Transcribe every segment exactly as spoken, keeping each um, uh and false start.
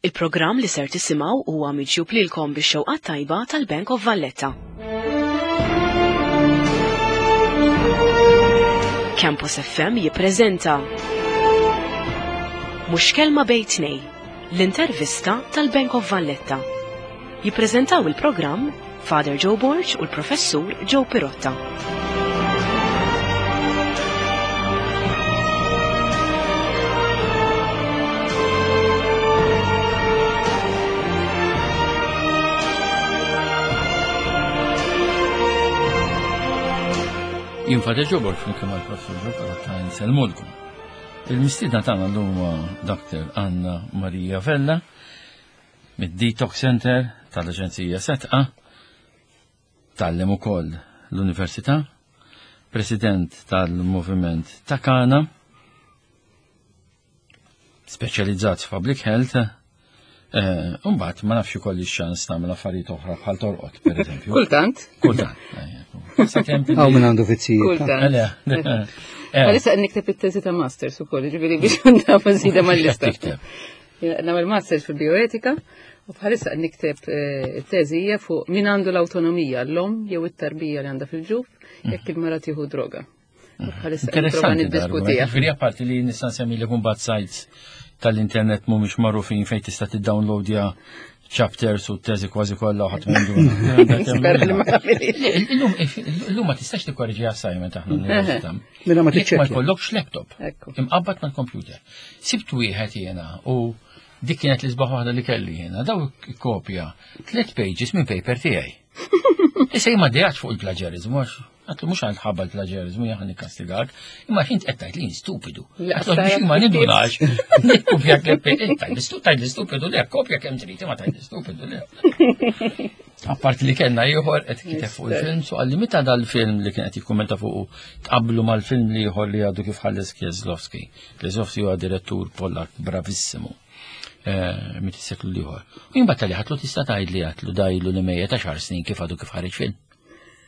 Il-programm li ser tisimgħu huwa miġjub lilkom bix-xewqa tajba tal-Bank of Valletta. Campus F M jippreżenta Mhux Kelma Bejn Tnejn, l-intervista tal-Bank of Valletta. Jippreżentaw il-programm Father Joe Borg u l-Professur Joe Pirotta. Jien Father Joe Borg flimkien mal-Professur Joe Pirotta nsellmulkom. Il-mistiedna tagħna llum huwa Doctor Anna Maria Vella mid-Detox Center tal-Aġenzija Sedqa, tgħallem ukoll l-Università, President tal-Moviment ta' Kana, speċjalizzat f'Public Health, eh, Umbagħad ma nafx ikolli x-ċans tagħmel affarijiet oħra bħal torqod, per eżempju. Kultant. Kultant. Sakemm Għaw minn għandu fizzijiet. Kultant. Eh. Għalissa nikteb it-teżi ta' masters ukoll, ġifieri biex nagħmel żida mal-lista. Tikteb. Nagħmel masters fil-bioetika u bħalissa nikteb eh, it-teżi hija fuq min għandu l-awtonomija, l-om jew it-tarbija li għandha fil-ġuf jekk il-mara tieħu droga. U bħalissa nipprova Interessanti. niddiskutiha. Ġifieri apparti li nista' nsemmi li kumbat sites tal-internet mhumiex magħrufin fejn tista' tiddownloadja chapters u teżi kważi kollha u ħadd m'għandu. Nispera li ma nagħmilhiex. Illum illum ma tistax tikkorreġi assignment aħna l-università. Mela ma Jekk ma tiċċekkja. jkollokx laptop. Ekku. Imqabbad mal-computer. Sibt wieħed jiena u dik kienet l-isbaħ waħda li kelli jiena. Daw kopja tliet pages minn paper tiegħi. Issa jien ma dejatx fuq il-plagiarizmu, għax għatlu mhux għal ħabba l-plagiarizmu jien nikkastigak, imma xint qed tgħid li jien stupidu. La, Għatlu biex ma nindunax. Nikkopja tliet pages, tgħid li stupidu le, kopja kemm trid, imma tgħid li stupidu le. Apparti li kellna ieħor qed kiteb fuq il-film, so għalli meta dal-film li kien qed jikkummenta fuq tqablu mal-film li ieħor li għadu kif ħalles Kieslowski. Kieslowski huwa direttur Pollak bravissimu. Eh, mit is-seklu l-ieħor. U jien battali ħatlu tista' tgħid li għatlu dajlu li mejjet għaxar snin kif għadu kif ħareġ film.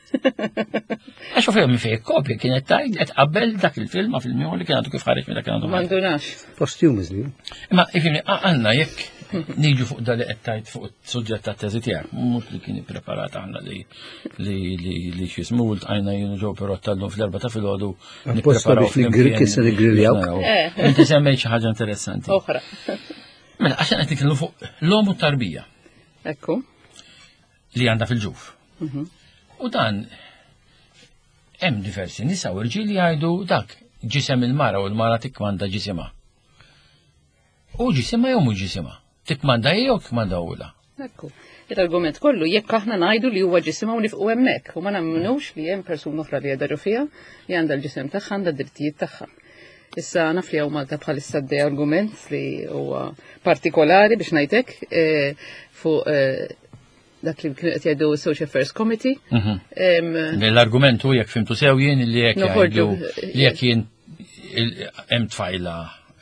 Għax u fejn fejn kopja kienet tgħid qed qabel dak il-film ma' film ieħor li kien għadu kif ħareġ meta kien għadu Ma ħareġ. ndunax. Posthumously. Imma ifhimni, għanna jekk niġu fuq dali qed tgħid fuq suġġett ta' teżi tiegħek, mhux li kien ippreparat aħna li li li li x'ismu ltqajna jien u Joe Pirotta llum fl-erba ta' filgħodu Apposta biex nigri- kissa niggriljaw. Eh. Inti semmejt xi ħaġa interessanti. Oħra. Mela, għax qed nitkellmu fuq l-om u tarbija Ekku. li għandha fil-ġuf. U dan hemm diversi nisa u rġiel li jgħidu dak ġisem il-mara u l-mara tikkmanda ġisimha. U ġisimha jew mhux ġisimha. Tikkmanda hi jew tikkmanda ula. Ekku. Il-argument kollu jekk aħna ngħidu li huwa ġisimha u nifqu hemmhekk u ma nemmenux li hemm persuna oħra li qiegħda fiha li għandha l-ġisem tagħha, għandha d-drittijiet tagħha. Issa naf li hawn Malta bħalissa għaddej argument li huwa partikolari biex ngħidlek eh, fuq eh, dak li kienu qed jgħidu Social Affairs Committee. Em, L-argument hu jekk fimtu sew jien li jekk Noħorġu. jgħidu li jekk jien il- hemm tfajla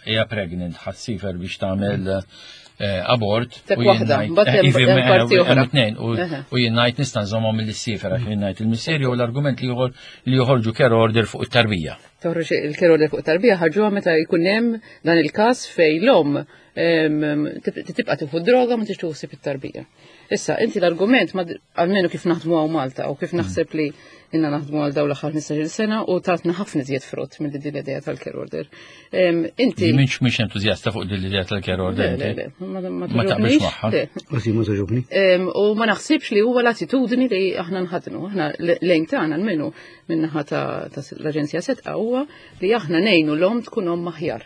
hija pregnant ħa ssifer biex tagħmel eh, abort. Tek u jien waħda, ngħid- mbagħad eh, hemm- ivi, hemm eh, parti hemm oħra. tnejn, u Eħe. u jien ngħid nista' nżommhom mill-sifer għax jien ngħid il-missier jew l-argument li joħor li joħorġu care order fuq it-tarbija. Toħroġ il-care order fuq tarbija ħarġuha meta jkun hemm dan il-każ fejn l-om em, tib- tibqa' tieħu droga ma tix tuħsib it-tarbija. Issa, inti l-argument ma almenu kif naħdmu hawn Malta u kif naħseb li inna naħdmu għal dawn l-aħħar ħmistax-il sena u tatna ħafna iżjed frott minn din l-idea tal-care order. Em, Inti Li minx mhix entużjasta fuq din l-idea tal-care order. Le, le, inti. le, ma ma Ma taqbilx togħġobnix, magħha. le. Għasi ma togħġobni. Em, U ma naħsibx li huwa l-attitudni li aħna nħadnu. Aħna lejn tagħna almenu min-naħa ta' ta' l-Aġenzija Sedqa huwa li aħna ngħinu l-om tkun om aħjar.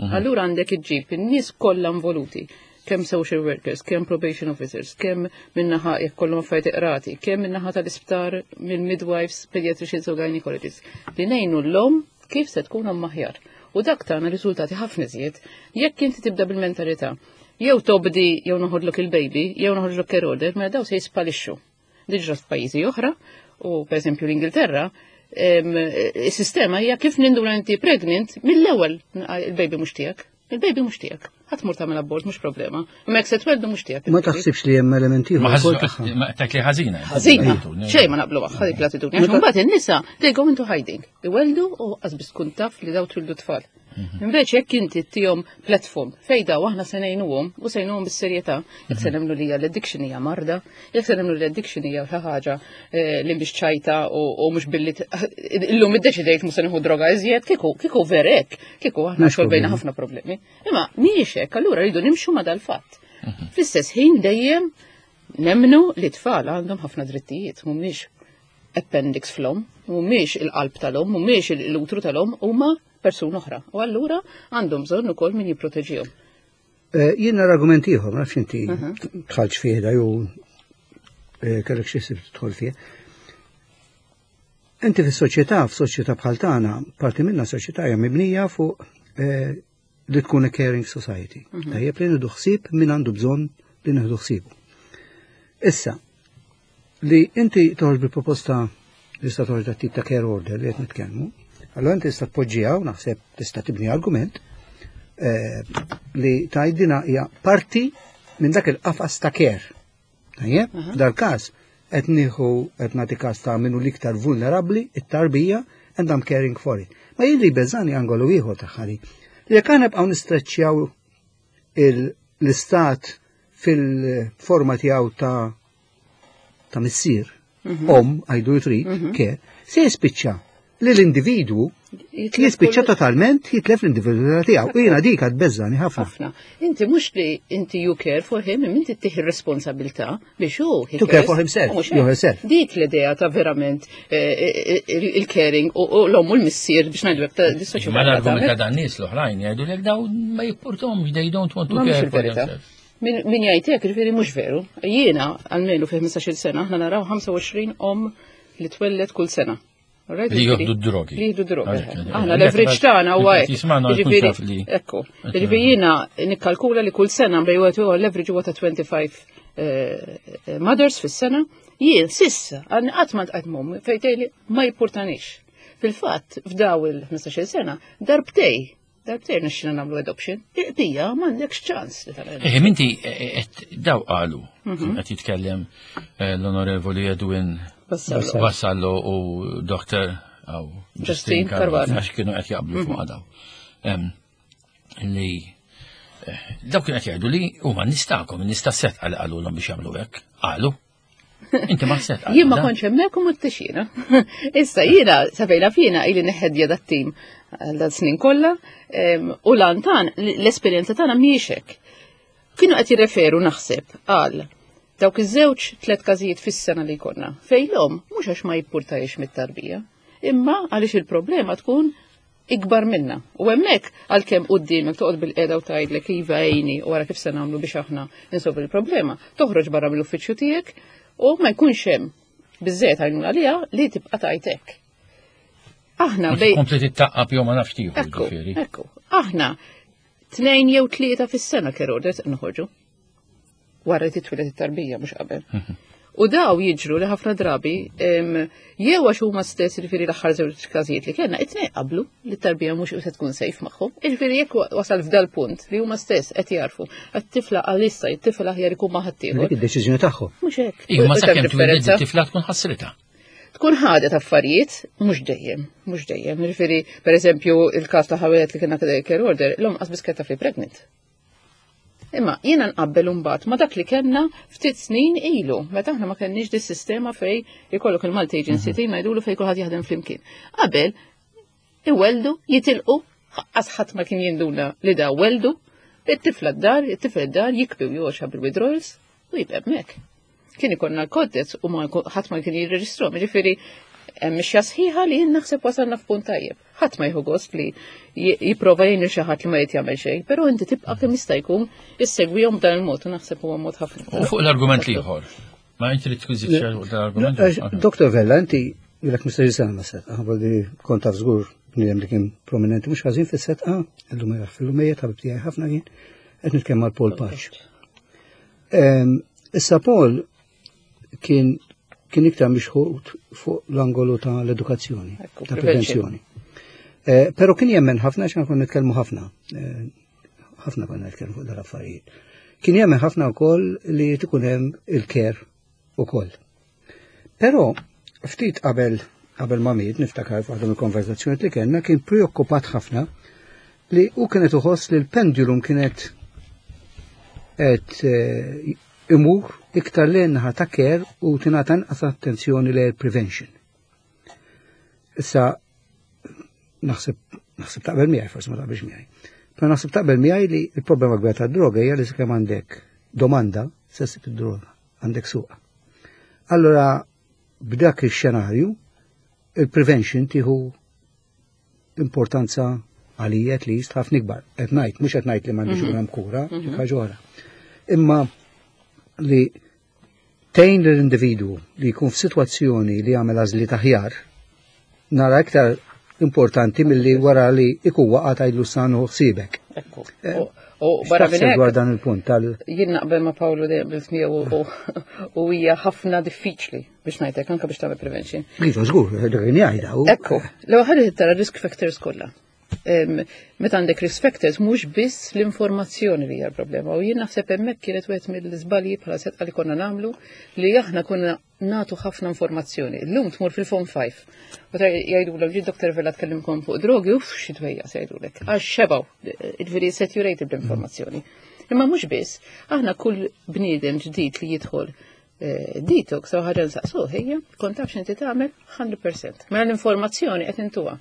Allura għandek iġġib in-nies kollha involuti, kemm social workers, kemm probation officers, kemm min-naħa jekk kollhom affarijiet iqrati, kemm min-naħa tal-isptar mill-midwives, pediatricians u gynecologists, li ngħinu l-om kif se tkun om aħjar. U dak tagħna riżultati ħafna iżjed jekk inti tibda bil-mentalità. Jew tobdi jew noħodlok il-baby, jew noħodlok care order, mela daw se jispalixxu. Diġà f'pajjiżi oħra, u per eżempju l-Ingilterra, em, is-sistema hija kif ninduna inti pregnant mill-ewwel il-baby mhux tiegħek. Il-baby mhux tiegħek. Ħadd mur tagħmel abort mhux problema. Imma jekk se tweldu mhux tiegħek. Ma taħsibx li hemm elementi Ma ieħor ukoll tagħha. ħażina, ma tek li ħażina. Ħażina, xejn ma naqblu magħha dik l-attitudni. Għax imbagħad in-nisa they go into hiding. Iweldu u qas biss tkun taf li daw twildu tfal. Invece jekk inti ttihom platform fejn daw aħna se ngħinuhom u se ngħinuhom bis-serjetà, jekk se nemmnu li hija l-addiction hija marda, jekk se nemmnu li l-addiction hija xi ħaġa eh, li mhix ċajta u u mhux billi t- illum iddeċidejt mhux se nieħu droga iżjed, kieku kieku vera hekk, kieku aħna Mhux solvejna problemi. ħafna problemi. Imma mhijiex hekk, allura rridu nimxu ma dal-fatt. Fl-istess ħin dejjem nemmnu li tfal għandhom ħafna drittijiet, mhumiex appendix fl-omm, mhumiex il-qalb tal-omm, mhumiex l-utru tal-omm, huma persuna oħra. U allura għandhom bżonn ukoll min jipproteġihom. Eh, Jien nara argument ieħor, ma nafx inti dħaltx fih da jew eh, kellek xi ħsieb tidħol fih. Inti fis-soċjetà, f'soċjetà bħal tagħna, parti minna soċjetà hija mibnija fuq eh, li tkun a caring society. Tajjeb li nieħdu ħsieb min għandu bżonn li nieħdu ħsiebu. Issa, li inti toħroġ bil-proposta li tista' toħroġ dat tip ta' care order li qed nitkellmu, allora inti tista' tpoġġiha u naħseb tista' tibni argument eh, li tgħidina hija parti minn dak il-qafas ta' care. Tajjeb, dal-każ qed nieħu qed nagħti każ ta' minnu l-iktar vulnerabbli, it-tarbija, and I'm caring for it. Ma jien li beżani angolu ieħor tagħha li jekk aħna nibqgħu nistreċċjaw il- l-istat fil-forma tiegħu ta' ta' missier, om, għajdu li trid, care, se jispiċċa li l-individwu Jitlef jispiċċa kull- totalment jitlef l-individwalità tiegħu. U jiena dik għad beżani ħafna. ħafna. Inti mhux li inti you care for him, imma inti ttih ir-responsabilità biex hu he To care cares. for himself, U mhux jew hekk. herself. Dik l-idea ta' verament eh, eh, il-caring u u l-omm u l-missier biex ngħidu hekk ta' dis-soċjetà. Ma l-argument ta' tagħmel. dan nies l-oħrajn jgħidu lek daw ma jippurtom, they don't want to Ma mhux care for il-verità. themselves. Min min jgħid hekk, ġifieri mhux veru. Jiena għalmenu fi ħmistax-il sena aħna naraw ħamsa u għoxrin om li twellet kull sena. Alright? Li Ġifieri- jieħdu d-drogi. Li jieħdu drogi. Għalhekk, Aħna għalhekk, l-average tagħna huwa hekk. Jismagħna jkun Ġifieri- taf li- Ekku. Ġifieri jiena nikkalkula li kull sena bejn wieħed u ieħor l-average huwa ta' twenty-five eh, eh, mothers fis-sena. Jien sissa għadni qatt ma ltqajt m'omm fejn tgħidli ma jippurtanix. Fil-fatt f'daw il-ħmistax-il sena darbtej darbtej nixxina nagħmlu adoption. Pija m'għandekx ċans li tagħmel. Eh, minti, eh, eh, daw qalu, qed jitkellem eh, l-onorevoli Edwin Vassallo. Vassallo u Doktor aw Justin Justin Caruana. Caruana, għax kienu qed jaqblu fuq daw. Em, Li eh, daw kienu qed jgħidu li huma nistakom, nista' set għal qalulhom biex jagħmlu hekk. Qalu. Inti ma set Jien ma kontx hemmhekk u mhux Issa jiena sa fejna fina ili neħedja dat-tim għal dat snin kollha em, u lantan l-esperjenza tagħna mhijiex hekk. Kienu qed jirreferu naħseb għal dawk iż-żewġ tliet każijiet fis-sena li jkollna. Fejn l-omm mhux għax ma jippurtajx mit-tarbija, imma għaliex il-problema tkun ikbar minna. U hemmhekk għalkemm quddiemek toqgħod bil-qiegħda u tgħidlek iva għejni u wara kif se nagħmlu biex aħna insolvu il-problema. Toħroġ barra mill-uffiċċju tiegħek u ma jkunx hemm biżżejjed għajnuna għaliha li tibqa' tgħid Aħna bej Kompli tittaqqab jew ma nafx tieħu Ekku, ġifieri. ekku. Aħna tnejn jew tlieta fis-sena care orders noħorġu. Wara li titwieled it-tarbija, mhux qabel. U daw jiġru li ħafna drabi em, jew għax huma stess, jiġifieri l-aħħar żewġ każijiet li kellna, it-tnejn qablu li t-tarbija mhux se tkun safe magħhom. Jiġifieri jekk wasal f'dal punt li huma stess qed jarfu għat-tifla għalissa it-tifla aħjar ikun ma' ħaddieħor. Dik id-deċiżjoni tagħhom. Mhux hekk. Iva, ma U- u sakemm taf twiled differenza? it-tifla tkun ħassritha. Tkun ħadet affarijiet, mhux dejjem, mhux dejjem. Jiġifieri, per eżempju, il-każ ta' ħawiet li kienna care order, l-omm qas biss taf li pregnant. Imma jiena nqabbel imbagħad ma dak li kellna ftit snin ilu, meta aħna ma kenniex dis sistema fej ikollok il-Multi Agency Team ngħidulu fej kulħadd jaħdem flimkien. Qabel iweldu, jitilqu, qas ħadd ma kien jinduna li da weldu, it-tifla d-dar, it-tifla d-dar jikbi u joxa bil-withdrawals u jibqa' hemmhekk. Kien ikollna l-koddet u ma ħadd ma kien jirreġistrom, ġifieri hemm mixja sħiħa li jien naħseb wasalna f'punt tajjeb. Ħadd ma jieħu gost li j- jipprova jgħin lil xi ħadd li ma jrid jagħmel xejn, però inti tibqa' kemm jista' jkun issegwihom b'dan il-mod u naħseb huwa mod ħafna. U fuq l-argument l-ieħor. Ma inti li tkun xi l-argument. Doktor Vella, inti ilek ħmistax-il sena ma setqa, għalli kont taf żgur bniedem li kien prominenti mhux ħażin fis-Sedqa, illum jaħ fil-lumejja tabib tiegħi ħafna kien, qed nitkellem mal Paul Pace. Em, Issa Paul kien kien iktar mixħut fuq l-angolu ta' l-edukazzjoni, Ekku, ta' prevention. prevenzjoni. Eh, Pero kien jemmen ħafna, xan konna nitkellmu ħafna, eh, ħafna konna nitkellmu fuq dal-affarijiet. Kien jemmen ħafna wkoll li tkun hemm il-care ukoll. Però ftit qabel qabel ma miet niftakar f'waħda mill-konversazzjoni li kellna kien preokkupat ħafna Li u kienet uħoss li l-pendulum kienet qed eh, imur iktar lejn naħa ta' care u tingħata inqas attenzjoni lejn prevention. Issa naħseb naħseb taqbel miegħi, forsi ma taqbilx miegħi. Però naħseb taqbel miegħi li l-problema kbira tad-droga hija li sakemm għandek domanda se ssib id-droga, għandek suqa. Allora b'dak ix-xenarju il-prevention tieħu importanza għalija at least ħafna ikbar. Qed ngħid, mhux qed ngħid li m'għandix ikun hemm kura, dik ħaġa oħra. Imma li tgħin lill-individwu li jkun f'sitwazzjoni li jagħmel għażliet aħjar, nara iktar importanti milli wara li ikun waqa' tgħidlu sanu ħsiebek. Ekku. U- U barra minn X'taħseb dwar hekk, dan il-punt tal jien naqbel ma' Paolo dejjem bil miegħu u- u hija ħafna diffiċli biex ngħidlek anke biex tagħmel prevention. Iva, żgur, dak kien jgħidha. u- Ekku, l-ewwel ħaġa tara risk factors kollha. Em, Meta għandek risk factors mhux biss l-informazzjoni li hija l-problema. U jien naħseb hemmhekk kienet wieħed mill-iżbalji bħala Sedqa li konna nagħmlu li aħna konna nagħtu ħafna informazzjoni. Illum tmur fil-Form five. U ta' jgħidulek ġi Doktor Vella tkellimkom fuq drogi, uff xi dwejja se jgħidulek. Għax xebgħu, ġifieri saturated bl-informazzjoni. Imma mhux biss, aħna kull bniedem ġdid li jidħol eh, detox u ħaġa nsaqsuh hija kont taf x'inti tagħmel mija fil-mija. Mela l-informazzjoni qed intuha.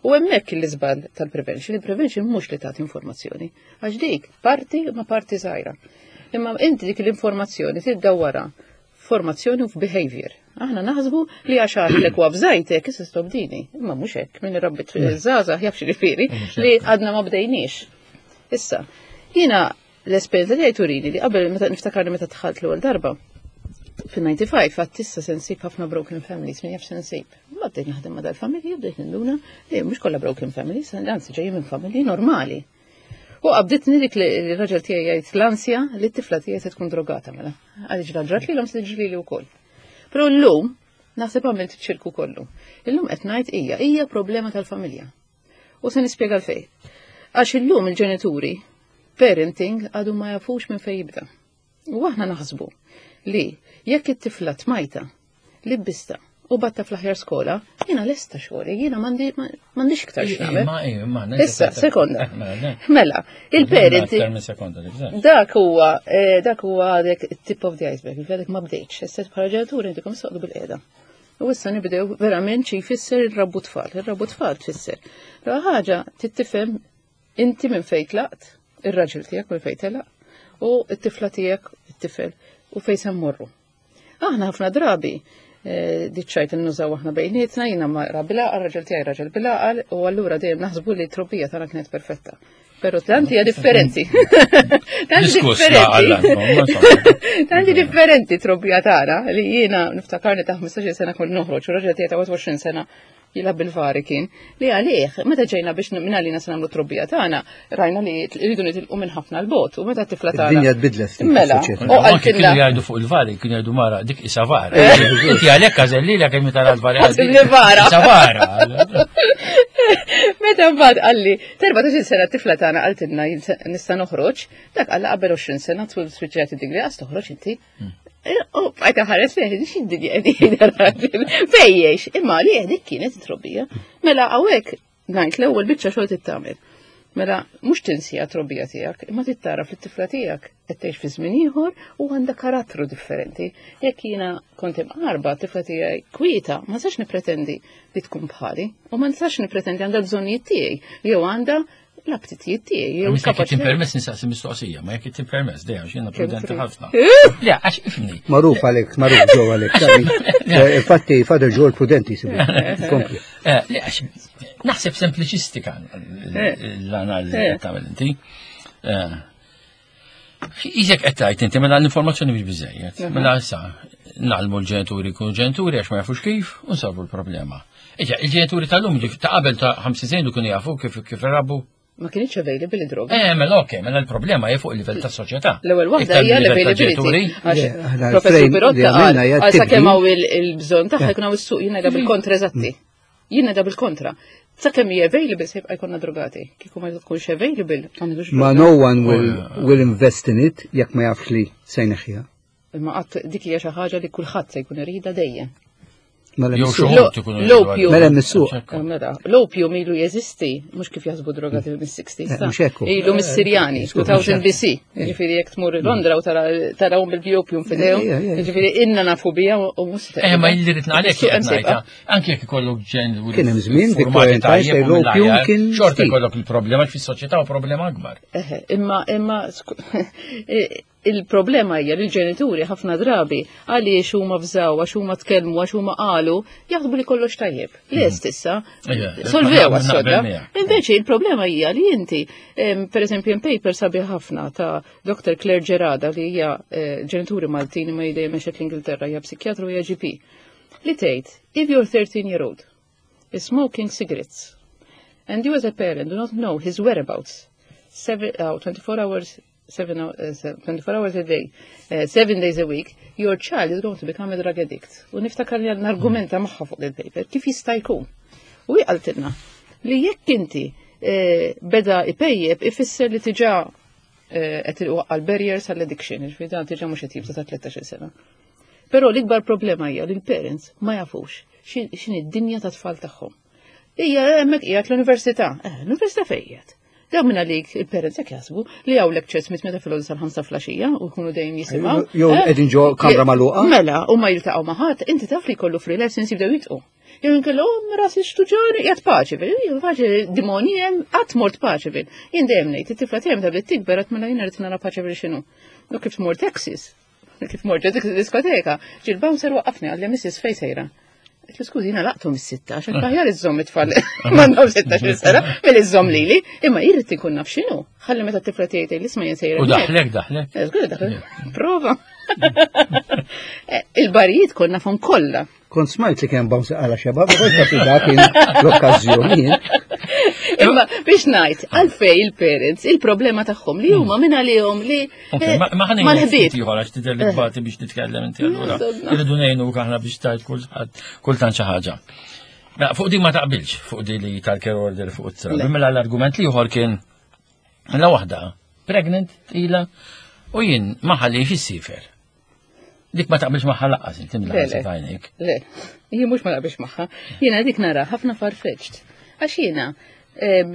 U hemmhekk l-iżball tal-prevention, il-prevention mhux li tagħti informazzjoni, għax dik parti ma parti żgħira. Imma inti dik l-informazzjoni tiddawwara formazzjoni u f'behavior. Aħna naħsbu li għax għadlek u għabżajtek, issa stop dini. Imma mhux hekk, min rabbit żgħażagħ jaf x'jiġifieri li għadna ma bdejniex. Issa, jiena l-esperienza li turini li qabel meta niftakar li meta dħalt l-ewwel darba fil-ħamsa u disgħin għedt issa se nsib ħafna broken families, min jaf se nsib. Ma bdejt naħdem ma dal-familji, bdejt ninduna li mhux kollha broken families, anzi ġejjin minn familji normali. U qabditni dik li l-raġel tiegħi jgħid l-ansja li t-tifla tiegħi se tkun drogata mela. Għaliex ġrat li l se tiġri li wkoll. Però llum naħseb għamilt ċirku kollu. Illum qed ngħid hija hija problema tal-familja. U se nispjega l-fej. Għax illum il-ġenituri parenting għadu ma jafux minn fej jibda. U aħna naħsbu li jekk it-tifla tmajta, libbista u bgħattha fl-aħjar skola, jiena lesta xogħli, jiena m'għandix iktar x'nagħmel. Ma, ma, Issa, sekonda. Mela, Mela, il-parenting Aktar minn sekonda, li bżonn. Dak huwa, eh, dak huwa għadek tip of the iceberg, għadek ma bdejtx, issa bħala ġenituri intikom soqdu bil-qiegħda. U issa nibdew verament xi jfisser ir-rabbu tfal, ir-rabbu tfal tfisser. L ħaġa tittifhem inti minn fejn tlaqt, ir-raġel tiegħek minn fejn telaq, u t-tifla tiegħek, it-tifel, u fejn se mmorru. Aħna ħafna drabi eh, diċċajt nużaw aħna bejnietna, jiena mara bil-għaqal, raġel tiegħi raġel bil-għaqal, u allura dejjem naħsbu li t-trobbija tagħna kienet perfetta. Però tanti hija differenti. Tanti Diskuss la għalla, differenti. Tanti differenti trobbija tagħna li jiena niftakarni ta' ħmistax-il sena kont noħroġ u raġel tiegħi ta' wieħed u għoxrin sena jilgħab bil-vari kien li għalih meta ġejna biex minn għalina se nagħmlu trobbija tagħna rajna li rridu nitilqu minn ħafna l-bot u meta t-tifla tagħna. Id-dinja tbidlet ftit Mela, fis-soċjetà. u Anki kienu qaltilna jgħidu fuq il-vari, kienu jgħidu mara, dik isa vara. Inti għalhekk għażel li kemm tara l-vari. Għażel li vara. Isa vara. Meta mbagħad qalli erbatax-il sena t-tifla tagħna qaltilna jien se- nista' noħroġ, dak qalla qabel għoxrin sena tul spiċċat id-degree għas toħroġ inti. U bqajt ħares lejh x'id-dinja qegħdin raġel. Fejjex, imma li dik kienet trobbija. Mela hawnhekk ngħid l-ewwel biċċa xogħol tittamel. Mela mhux tinsija trobbija tiegħek, imma tittara fl-tifla tiegħek qed tgħix fi żmien ieħor u għandha karattru differenti. Jekk jiena kont imqarba tifla tiegħi kwieta, ma nistax nippretendi li tkun bħali u ma nistax nippretendi għandha bżonnijiet tiegħi jew għandha l-apptitijiet tiegħi jew Jekk kapaċità. permess nistaqsi mistoqsija, ma jekk inti permess, dejjem x'jiena prudenti trid. ħafna. Le, għax ifni. Magħruf għalek, magħruf ġo għalek. Eh, Infatti, Father Joe prudenti sibu. Kompli. Eh, Le, għax naħseb sempliċistika l-analiżi Eh. qed tagħmel inti. Eh, Iżek qed tgħid inti mela l-informazzjoni mhix biżejjed. Mela issa ngħallmu l-ġenituri jkunu ġenituri għax ma jafux kif u nsolvu l-problema. Iġa, il-ġenituri tal-lum ġif ta' qabel ta' ħamsin sena kienu jafu kif kif irabbu. Ma kienx available id-droga. Eh, mela okej, mela l-problema hija fuq il-livell tas-soċjetà. L-ewwel waħda Iktar hija mill-livell l-availability. tal-ġenituri. Għax Le, aħna Professur l-frame li Pirotta qal għamilna hija għal sakemm tibdil. hawn il- il-bżonn tagħha jkun hawn is-suq jiena bil-kontra eżatti. Jiena da bil-kontra. Sakemm hija available se jibqa' jkollna drogati. Kieku ma tkunx available ma ngħidux Ma droga. no one will, will invest in it jekk ma jafx li se jneħħiha. Imma qatt dik hija xi ħaġa li kulħadd se jkun irida dejjem. Mela Jew mis-suq. xi wħud ikunu L-opju. Mela mis-suq. Eh, Mela, l-opium ilu jeżisti, mhux kif jaħsbu drogati mis-sixties. Eh, mhux hekk hu. Ilu mis-Sirjani, Skur, elfejn mhux B C. Ġifieri jekk tmur Londra u tarawhom bil-opium f'idejhom. Eh, eh, eh. Ġifieri inna nafu bija u mhux. Eh, ma illi rid ngħalek Is-suq hemm qed ngħidha. sejba. Anke jekk ikollok ġen Kien hemm żmien Victorian times fejn l-opium kien xorta stil. jkollok il-problema fis-soċjetà u problema akbar. Eħe, imma imma sku- il-problema hija li l-ġenituri ħafna drabi għaliex huma fżaw, għax huma tkellmu, għax huma qalu, jaħsbu li kollox tajjeb. Lest issa, Ija, solvew naqbel għas-sodda. miegħek. Invece il-problema hija li inti, em, per eżempju, hemm paper sabiħ ħafna ta' Doktor Clare Gerada li hija eh, ġenituri Maltin imma dejjem mexet l-Ingilterra, hija psikjatru, hija G P. Li tgħid, if your thirteen year old is smoking cigarettes and you as a parent do not know his whereabouts seven, uh, twenty-four hours, seven, uh, se- twenty-four hours a day, uh, seven days a week, your child is going to become a drug addict. U niftakar li argumenta magħha fuq il-paper, kif jista' jkun? U hi qaltilna li jekk inti eh, beda ipejjeb ifisser li diġà eh, qed iwaqqa' l-barriers għall-addiction, ġifieri dan diġà mhux qed jibda ta' tlettax-il sena. Però l-ikbar problema hija li l-parents ma jafux x'in x'inhi d-dinja ta' tfal tagħhom. Hija hemmhekk qiegħed l-università. Eh, l-università fejn qiegħed? Daw minn għalik il-parents jekk jaħsbu li hawn lectures mit-tmienja filgħodu sal-ħamsa filgħaxija u jkunu dejjem jisimgħu. Jew Eh, qegħdin ġo kamra magħluqa. Mela, u ma jiltaqgħu ma' ħadd, inti taf li jkollu free lessons jibdew jitqu. Jew inkella oh rasi xtuġani qiegħed Paceville, jew Paceville dimoni hemm qatt mort Paceville. Jien dejjem ngħid it-tifla tiegħi meta bdiet tikber qatt mela jiena rrid nara Paceville x'inhu. U kif tmur Texas, kif mort ġo diskoteka, ġie l-bouncer waqqafni, qalli, "Missus, fejn sejra?" Għedtlu, "Skużi, jiena laqtu mis-sitta, għax aħjar iżżomm it-tfal m'għandhom sittax-il sena milli iżżomm lili, imma irrid inkun naf x'inhu. Ħalli meta t-tifla tiegħi tgħid isma' jien sejra. U daħlek, daħlek. Eh, żgur daħlek. Prova. Eh, Il-barijiet konna nafhom kollha. Kont smajt li kien bouncer għala xebab, ma kontx naf li dak kien l-okkażjoni. Imma biex ngħid, għalfej il-parents, il-problema tagħhom li huma minn għalihom li Ok, ma ma ħa ngħidu mal-ħbieb. ftit ieħor għax tidher li tbati biex titkellem inti allura. Sodna. Irridu ngħinu aħna biex tajt kulħadd kultant xi ħaġa. Mela, fuq di ma taqbilx, fuq di li tal-care order fuq it-trabi. Mela l-argument li ieħor kien la waħda pregnant ila u jien ma ħallix issiefer. Dik ma taqbilx magħha lanqas inti Le, mill le. għajnejk. Le, jien mhux ma naqbilx magħha. Jiena dik nara ħafna farfetched. Għax jiena em,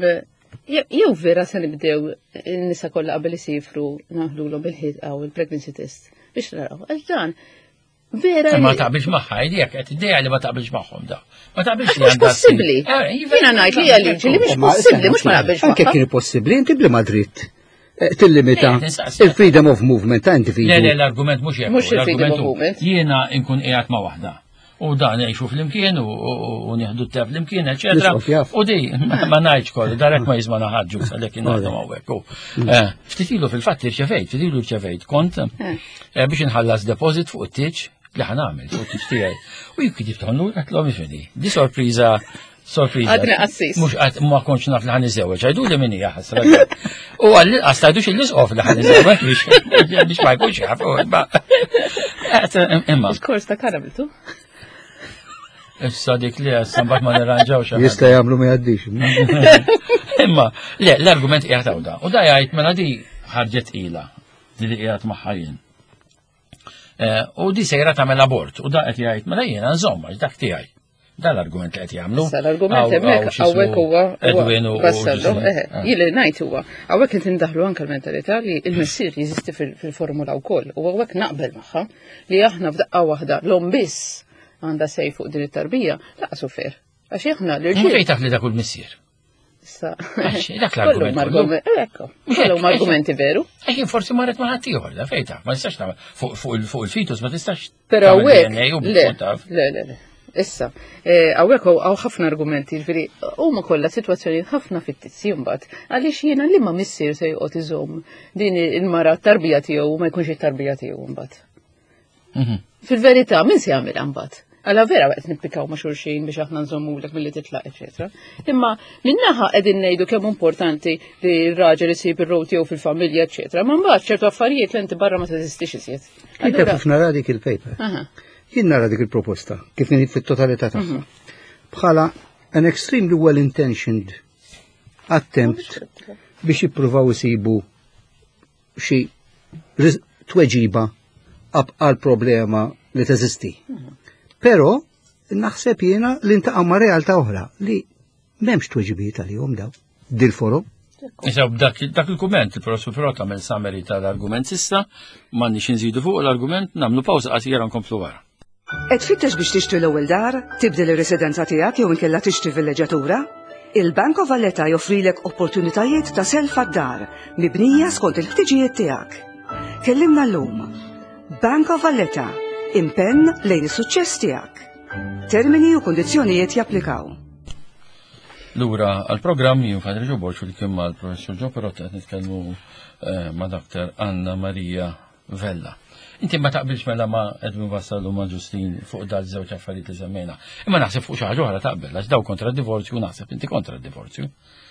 je- jew vera se nibdew in-nisa kollha qabel isifru naħlulhom bil-ħid għaw il-pregnancy test biex naraw. Għax dan vera Ma li- taqbilx magħha, jek qed idea li ma taqbilx magħhom da. Ma taqbilx li Mhux għandha possibbli. ssir. Eh, iva, Jiena ngħid li hija liġi li mhux Ma, possibbli, mhux ma naqbilx Anke magħha. kien possibbli, inti bli dritt eh, tillimita Le, nistaqsi. il-freedom of movement ta' individu. Le, le, l-argument mhux hekk. Mhux il-freedom L-argument of hu, movement. jiena nkun qiegħed ma' waħda. U dan ngħixu flimkien u- u u nieħdu t flimkien, eċetera. Nisqof jaf. U di, ma ngħidx kollu, darek ma jiżma ħaġġu għalhekk naħdem hawnhekk. U, eh, Ftit ilu fil-fatt irċevejt, ftit ilu rċevejt kont eh, biex inħallas deposit fuq it-tieġ li ħa nagħmel fuq it-tieġ tiegħi. U jien kitibthom lura għedtilhom ifhimni. Di sorpriża sorpriża. Għadni qassis. Mhux qatt ma kontx naf li ħa niżżewweġ, għidu li min hija ħasra. U għalli qas tgħidux l-isqof li ħa niżżewweġ biex biex ma jkunx jaf. u imma- Eh, Imma, Il-kors ta' karabiltu. issa dik li issa mbagħad ma nirranġaw xi ħaġa. Jista' jagħmlu ma jgħaddix. Imma, le, l-argument qiegħed hawn da. U da jgħid mela di ħarġet ila, di li qiegħed magħha jien. Eh, U di sejra tagħmel abort, u da qed jgħid mela jiena nżomm għax dak tiegħi. Da l-argument li qed jagħmlu. Issa l-argument Hawn- hemmhekk hawn x'ismu hawnhekk huwa Edwin u Vassallo, u- eħe, eh. jien li ngħid huwa hawnhekk qed indaħlu anke l-mentalità li l-missier jeżisti fil- fil-formula wkoll u hawnhekk naqbel magħha li aħna f'daqqa waħda l-omm biss għandha say fuq din it-tarbija lanqas hu fair. Għax aħna Mhux l-irġiel fejn taf li dak hu l-missier. Issa. Għax, dak l-argument Kollhom kollu. argument- Ekku, kollhom argumenti veru. Għax jien forsi marret ma' ħaddieħor, da fejn taf, ma tistax tagħmel fuq fuq il- fuq il-fetus ma tistax Però tagħmel hawnhekk D N A u le, tkun taf. le, le, le. Issa, eh, hawnhekk hawn ħafna argumenti, ġifieri huma kollha sitwazzjonijiet ħafna fittizji mbagħad. Għaliex jiena li ma missier se joqgħod iżomm din il-mara t-tarbija tiegħu u ma jkunx it-tarbija tiegħu mbagħad? Mhm. Fil-verità, min se jagħmilha mbagħad? Għala vera waqt nippikaw ma' xulxin biex aħna nżommulek milli titlaq, eċetera. Imma minnaħa qegħdin ngħidu kemm importanti li r-raġel isib ir-rol tiegħu fil-familja, eċetera. Ma mbagħad ċertu affarijiet li inti barra ma teżistix iżjed. Inti Allura- kif nara dik il-paper. Aha. Jien nara dik il-proposta, kif inhi fit-totalità tagħha. Bħala an extremely well-intentioned attempt biex jippruvaw isibu xi riz- tweġiba għal problema li teżisti. Però Naħseb jiena li ntaqgħu ma' realtà oħra li m'hemmx tweġibiet għalihom daw dil-forum. Issa dak dak il-kumment, il-professur Pirott għamel summary tal-argument s'issa, m'għandniex inżidu fuq l-argument, nagħmlu pawża qasira, nkomplu wara. Qed tfittex biex tixtri l-ewwel dar, tibdel ir-residenza tiegħek jew inkella tixtri villeġġatura? Il-Bank of Valletta joffrilek opportunitajiet ta' self għad-dar mibnija skont il-ħtiġijiet tiegħek. Kellimna llum. Bank of Valletta, impenn lejn is-suċċess tiegħek. Termini u kondizzjonijiet japplikaw. Lura għal-programm, jien Father Joe Borg flimkien mal-professur Joe Pirott, qed nitkellmu eh, ma' Doctor Anna Maria Vella. Inti ma taqbilx mela ma' Edwin Vassallo, ma' Ġustin fuq dal żewġ affarijiet li semmejna. Imma naħseb fuq xi ħaġa oħra taqbel, għax daw kontra d-divorzju, naħseb inti kontra d-divorzju.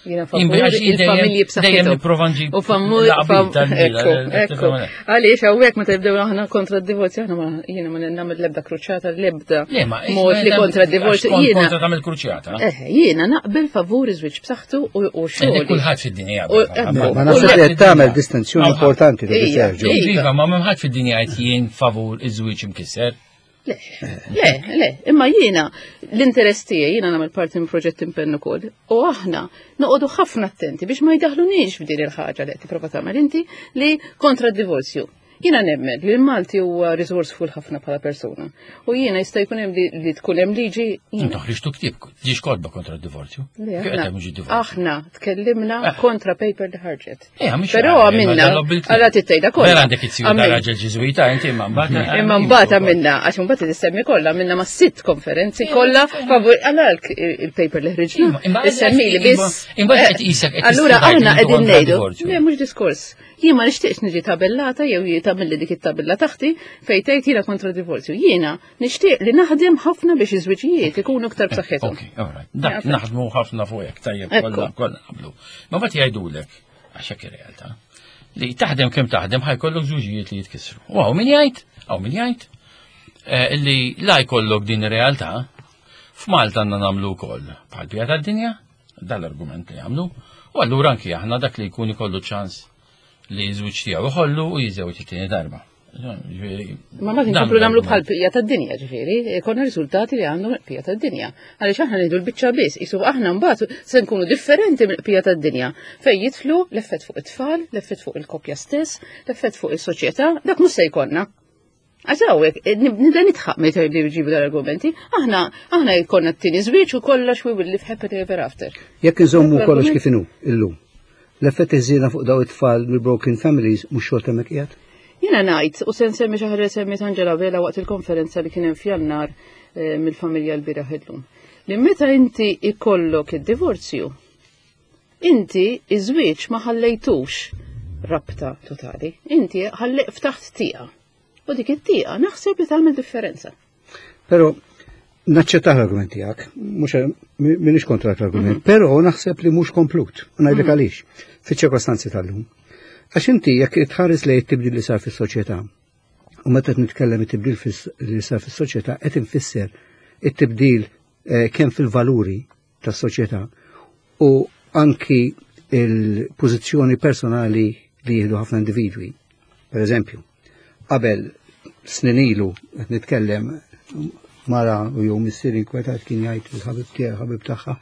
Jiena favur il-familji Dejjem b'saħħithom. nipprova nġib U fammu l-qbil tal-bila, Ekku, ekku. Għaliex hawnhekk meta jibdew aħna kontra d-divorzju, aħna ma jiena ma nagħmel l-ebda kruċjata, l-ebda Le, ma mod li kontra d-divorzju. Jiena kontra tagħmel kruċjata. Eh, jiena naqbel favur iż-żwieġ b'saħħtu u u Dik xogħol. kulħadd fid-dinja. U- jaqbel. ekku. Ma naħseb li qed tagħmel distinzjoni importanti li Ija, Sergio. ija. Iva, ma m'hemm ħadd fid-dinja qed jien favur iż-żwieġ imkisser. Le, le, le, imma jiena l-interess tiegħi, jiena nagħmel parti minn proġett Impenn ukoll u aħna noqogħdu ħafna attenti biex ma jdaħlunix f'din il-ħaġa li qed tipprova tagħmel inti li kontra d-divorzju. Jiena nemmen li l-Malti huwa resourceful ħafna bħala persuna. U jiena jista' jkun hemm li, li tkun hemm liġi jiena- Intu ħriġtu ktieb, ġiex kotba kontra d-divorzju. Le, Kif qed aħna, hemm mhux id-divorzju? aħna tkellimna kontra paper li ħarġet. Eh, mhix Però għal, għamilna, imma dan bil- għalla tittejda kollha. Vera għandek it-siju ta' Għamilna. raġel ġiżwita, inti imma mbagħad. Imma mbagħad għamilna, għax imbagħad issemmi kollha, għamilna ma' sitt konferenzi kollha favur għala il-paper li ħriġna. Imma- imma- Issemmi li biss. Imbagħad qed qisek qed Allura tistibgħid aħna li intu qegħdin kontra ngħidu, divorzju. le, mhux diskors. Jien ma nixtieqx niġi tabellata jew tagħmilli dik it-tabella taħti fejn tgħid jiena kontra divorzju. Jiena nixtieq li naħdem ħafna biex iż-żwiġijiet ikunu iktar b'saħħithom. Ok, all right. Dak Jafet. naħdmu ħafna fuq hekk, tajjeb, Ekku. kollha kollha naqblu. Ma mbagħad jgħidulek, għax hekk ir-realtà, li taħdem kemm taħdem ħa jkollok żwiġijiet li jitkissru. U hawn min jgħid, hawn min jgħid eh, illi la jkollok din ir-realtà, f'Malta għandna nagħmlu wkoll bħal bija tad-dinja, dan l-argument li jagħmlu, u allura anki aħna dak li jkun ikollu ċans li żwieġ tiegħu iħollu u jiżewġ it-tieni darba. Ġifieri, Ma ma dan nkomplu nagħmlu bħal l-argument. bqija tad-dinja, ġifieri, konna riżultati li għandhom bqija tad-dinja. Għaliex aħna ngħidu l-biċċa biss, isu aħna mbagħad se nkunu differenti mill-bqija tad-dinja. Fejn jidħlu l-effett fuq it-tfal, l-effett fuq il-koppja stess, l-effett fuq is-soċjetà, dak mhux se jkollna. Għax hawnhekk, nibda nidħaq meta jibdew jġibu dal-argumenti, aħna aħna jkollna t-tieni żwieġ u kollox, we will live happily ever after. Jekk inżommu L-argument- kollox kif inhu illum, l-effett iżina fuq daw it-tfal mill-broken families mhux xorta hemmhekk qiegħed? Jiena ngħid, u se nsemmi xi ħaġa li semmiet Angela Vela waqt il-konferenza li kien hemm f'Jannar eh, mill-familja l-bieraħ illum. Li meta inti ikollok id-divorzju, inti iż-żwieġ ma ħallejtux rabta totali, inti ħalli ftaħt tieqa. U dik it-tieqa naħseb li tagħmel differenza. Però naċċettaħ l-argument tiegħek, mhux m'iniex kontra l-argument, però naħseb li mhux komplut, u ngħidlek għaliex, fiċ-ċirkostanzi tal-lum. Għax inti jekk tħares lejn it-tibdil li sar fis-soċjetà, u meta qed nitkellem it-tibdil fis- li sar fis-soċjetà qed infisser it-tibdil eh, kemm fil-valuri tas-soċjetà u anki il-pożizzjoni personali li jieħdu ħafna individwi. Per eżempju, qabel snin ilu qed nitkellem, mara u jew missier inkwetat kien jgħid il-ħabib tiegħu, ħabib tagħha,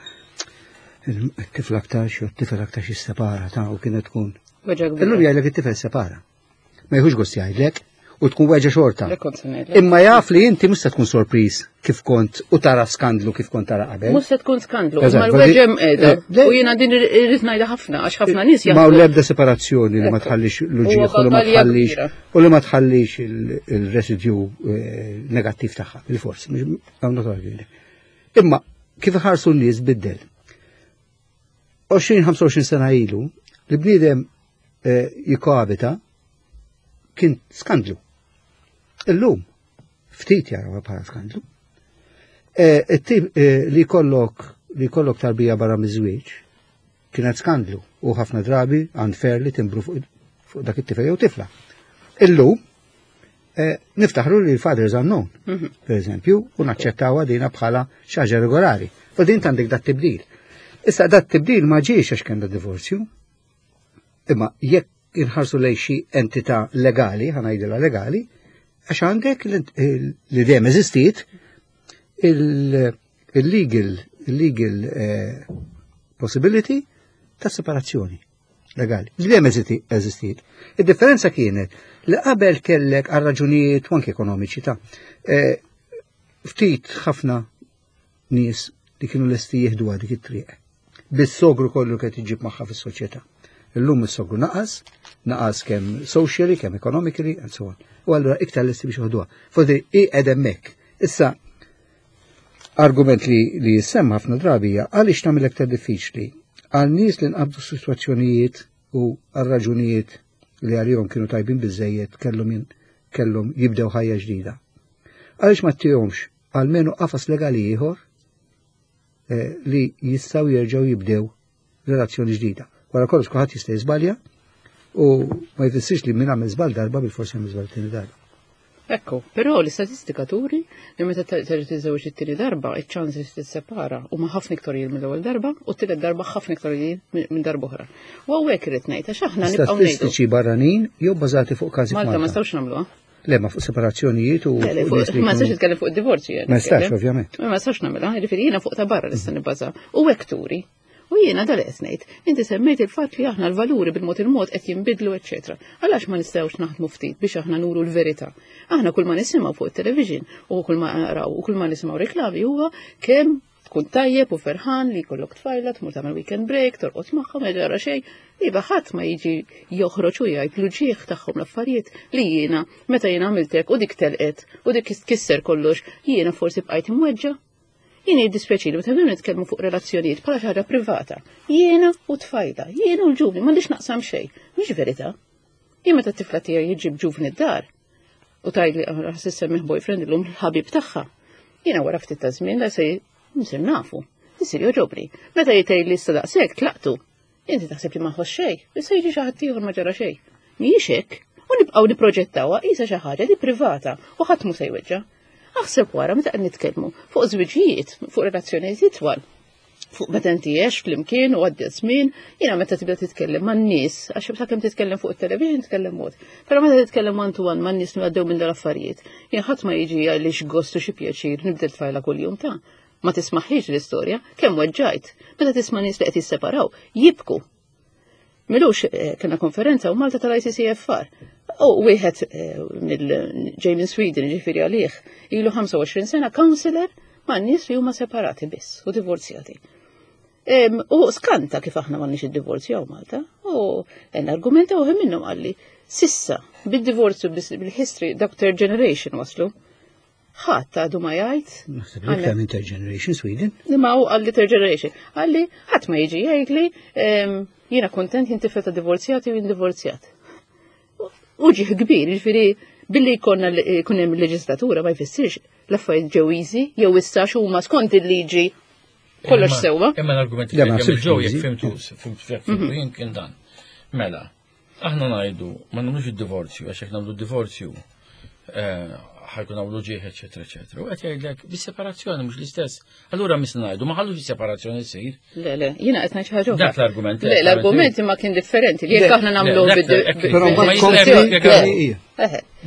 it-tifel aktarx jew t-tifel aktarx jissepara ta' u kienet tkun. Weġgħa Illum kbira. jgħidlek it-tifel separa. Ma jieħux gost jgħidlek u tkun weġgħa xorta. Le kont se ngħidlek. Imma jaf li inti mhux se tkun sorpriż kif kont u tara skandlu kif kont tara qabel. Mhux se tkun skandlu, Eżatt, imma l-weġgħa qiegħda. eh, le- U jiena din irrid ngħidha ħafna għax ħafna nies Ma u jaħsbu- l-ebda separazzjoni li ma Ekku. tħallix Huwa l-uġieħ u li ma battalja tħallix kbira. u li ma tħallix il- il-residju eh, negattiv tagħha, bil-fors, mhux I'm not arguing. Imma kif ħarsu n-nies biddel. għoxrin ħamsa u għoxrin sena ilu, li bniedem eh, jikoabita kien skandlu. Illum, ftit jaraw bħala skandlu. Eh, it-tip eh, li kollok li kollok tarbija barra miż-żwieġ kienet skandlu u ħafna drabi unfairly timbru fuq fuq dak it-tifel jew tifla. Illum eh, niftaħru li l-fathers unknown, per eżempju, u naċċettaw dina bħala xi ħaġa regolari. U din għandek dat tibdil. Issa dat tibdil ma ġiex għax kien da divorzju. Imma jekk inħarsu lejn xi entità legali, ħa ngħidilha legali, għax għandek l- li dejjem eżistiet il-legal il-legal eh, possibility ta' separazzjoni legali. Dejjem eżistiet. Id-differenza kienet li qabel kellek għal raġunijiet u anke ekonomiċi ta' eh, ftit ħafna nies li kienu lesti jieħdu dik it-triq. Bis-sogru kollu qed iġib magħha fis-soċjetà. Illum is-sogru naqas, naqas kemm socially, kemm economically, and so on. U allura iktar lesti biex joħduha. Forsi hi qed hemmhekk. Issa argument li li jissemma ħafna drabi hija għaliex tagħmel aktar diffiċli għal nies li nqabdu sitwazzjonijiet u għal raġunijiet li għalihom kienu tajbin biżejjed kellhom kellhom jibdew ħajja ġdida. Għaliex ma ttihomx almenu qafas legali ieħor eh, li jistgħu jerġgħu jibdew relazzjoni ġdida. Wara kollox kulħadd jista' jiżbalja u ma jfissirx li min għamel żball darba bil-forsi għamel żball tieni darba. Ekku, però l-istatistika turi li meta terġa' tiżżewġ it-tieni darba, iċ-ċans li tissepara huma ħafna iktar mill-ewwel darba u t-tielet darba ħafna iktar minn darba oħra. U hawnhekk irid ngħid għax aħna nibqgħu ngħidu. Statistiċi barranin jew bażati fuq każi Malta ma nistgħux nagħmluha. Le, ma fuq separazzjonijiet u. Ma nistax nitkellem fuq id-divorzju. Ma nistax, ovvjament. Ma nistax nagħmilha, jiġifieri jiena fuq ta' barra nista' nibbaża. U hekk turi. U jiena dal qed ngħid, inti semmejt il-fatt li aħna l-valuri bil-mod il-mod qed jinbidlu, eċetera. Għalax ma nistgħux naħdmu ftit biex aħna nuru l-verità. Aħna kull ma nisimgħu fuq it-television u kull ma naraw u kull ma nisimgħu reklami huwa kemm tkun tajjeb u ferħan li jkollok tfajla, tmur tagħmel weekend break, torqod magħhom, ma ġara xejn. Iva ħadd ma jiġi joħroġ u jgħid l-uġieħ tagħhom l-affarijiet li jiena meta jiena għamiltek u dik telqet u dik tkisser kollox, jiena forsi bqajt imweġġa'. Jiena jiddispjaċini meta nitkellmu fuq relazzjonijiet bħala xi ħaġa privata. Jiena u tfajla, jiena u l-ġuvni, m'għandix naqsam xejn. Mhix verità. Jien meta t-tifla tiegħi jiġib ġuvni d-dar u tgħidli ħa ssemmih boyfriend illum l-ħabib tagħha. Jiena wara ftit ta' żmien la se nsir nafu. Isir joġobni. Meta jgħid li issa daqshekk tlaqtu. Inti taħseb li ma ħoss xejn, issa jiġi xi ħadd ieħor ma ġara xejn. Mhijiex hekk. U nibqgħu nipproġettawha qisha xi ħaġa li privata u ħadd mhu se jweġġa'. Aħseb wara meta qed nitkellmu fuq żwiġijiet, fuq relazzjonijiet itwal. Fuq meta inti għex flimkien u għaddi żmien, jiena meta tibda titkellem man-nies, għax sakemm titkellem fuq it-television titkellem mod. Però meta titkellem one to one man-nies li għaddew minn dal-affarijiet, jien ħadd ma jiġi għaliex gostu xi pjaċir nibdel tfajla kuljum ta' ma tismaħħiex l-istorja, kemm weġġajt. Meta tisma' nies li qed jisseparaw, jibku. M'ilux eh, kena konferenza u Malta tal-I C C F R. U wieħed eh, mill ġej minn Sweden, ġifieri għalih, ilu ħamsa u għoxrin sena counselor ma' nies li huma separati biss u divorzjati. U skanta kif aħna m'għandniex id-divorzju hawn Malta. U n argumenta u minnhom qalli, sissa bid-divorzju bil-history dak third generation waslu. Ħadd għadu ma jgħid. Naħseb li iktar minn third generation Sweden. Ma hu qalli third generation. Qalli ħadd ma jiġi jgħidli jiena kontent jien tifel ta' divorzjati u jien divorzjat. Uġigħ kbir, ġifieri billi jkollna jkun hemm leġislatura ma jfissirx l-affarijiet ġew easy jew issa huma skont il-liġi kollox sewwa. Imma l-argument li ġew jekk fimtu, fimtu jien kien dan. Mela, aħna ngħidu ma nagħmlux id-divorzju għax jekk nagħmlu d-divorzju eh, ħa jkun hawn uġigħ, eċetera, eċetera. U qed jgħidlek bis-separazzjoni mhux l-istess. Allura misna ngħidu ma ħallux is-separazzjoni ssir. Le, le, jiena qed ngħid xi ħaġa. Dak l-argument. Le, l-argument imma kien differenti li jekk aħna nagħmlu Però mbagħad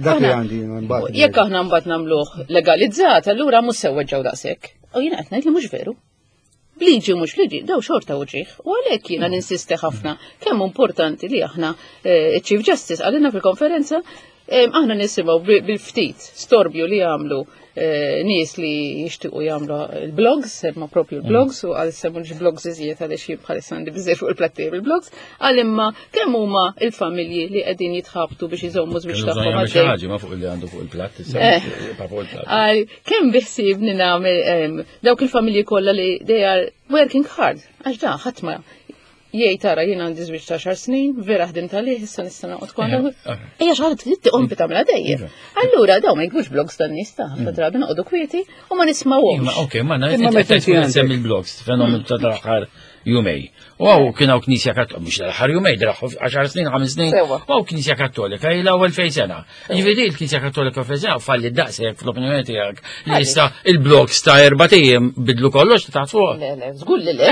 Dak li għandi mbagħad. Jekk aħna mbagħad nagħmluh legalizzat, allura mhux se weġġgħu daqshekk. U jiena qed ngħid li mhux veru. Bliġi mhux liġi, daw xorta uġigħ. U għalhekk jiena ninsisti ħafna kemm importanti li aħna eh, Chief Justice għalina fil-konferenza aħna nisimgħu bil-ftit storbju li jagħmlu eh, nies li jixtiequ jagħmlu il-blogs, semma propju il-blogs, u għal semmu blogs iżjed għaliex jien bħalissa għandi biżejjed fuq il-platti bil-blogs, għal imma kemm huma il-familji li qegħdin jitħabtu biex iżommu żwieġ tagħhom għaddej. Ma fuq li għandu fuq il-platt, eh. Għal kemm biħsibni nagħmel dawk il-familji kollha li they are working hard, għax da ħadd ma jgħid tara jien għandi żwieġ ta' xar snin, vera ħdimt għalih, issa nista' noqgħod kwandu. Ejja xi ħaġa trid tqom tagħmilha dejjem. Allura daw ma jkunux blogs tan-nies ta' ħafna drabi noqogħdu kwieti u ma nismawhomx. Ok, ma qed semmi l-blogs, fenomenu ta' tal-aħħar Jumejn. U hawn kien hawn Knisja Kattolika, mhux l-aħħar jumejn, għaxar snin, ħames snin, u hawn Knisja Kattolika ilha elfejn sena. Ġifieri l-Knisja Kattolika elfejn sena falli daqshekk fl-opinjoni tiegħek li issa il-blogs ta' erbat ijiem bidlu kollox ta' fuq. Le, le, żgur li le.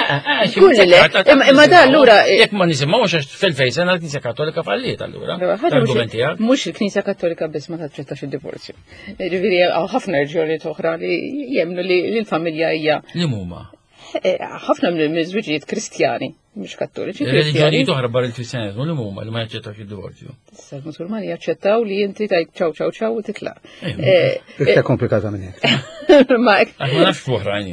Żgur li le. Imma da allura. Jekk ma nisimgħux għax f'elfejn sena l-Knisja Kattolika falliet allura. L-argument tiegħek. Mhux il-Knisja Kattolika biss ma taċċettax id-divorzju. Ġifieri hawn ħafna reġjonijiet oħra li jemmnu li l-familja hija. Li huma? Ħafna mill-żwiġijiet Kristjani, mhux Kattoliċi. Reliġjonijiet oħra barra il-Kristjaneżmu li huma li ma jaċċettawx id-divorzju. Issa l-Musulmani jaċċettaw li inti tajt ċaw ċaw ċaw u titlaq. Iktar komplikata minn hekk. Ma nafx oħrajn.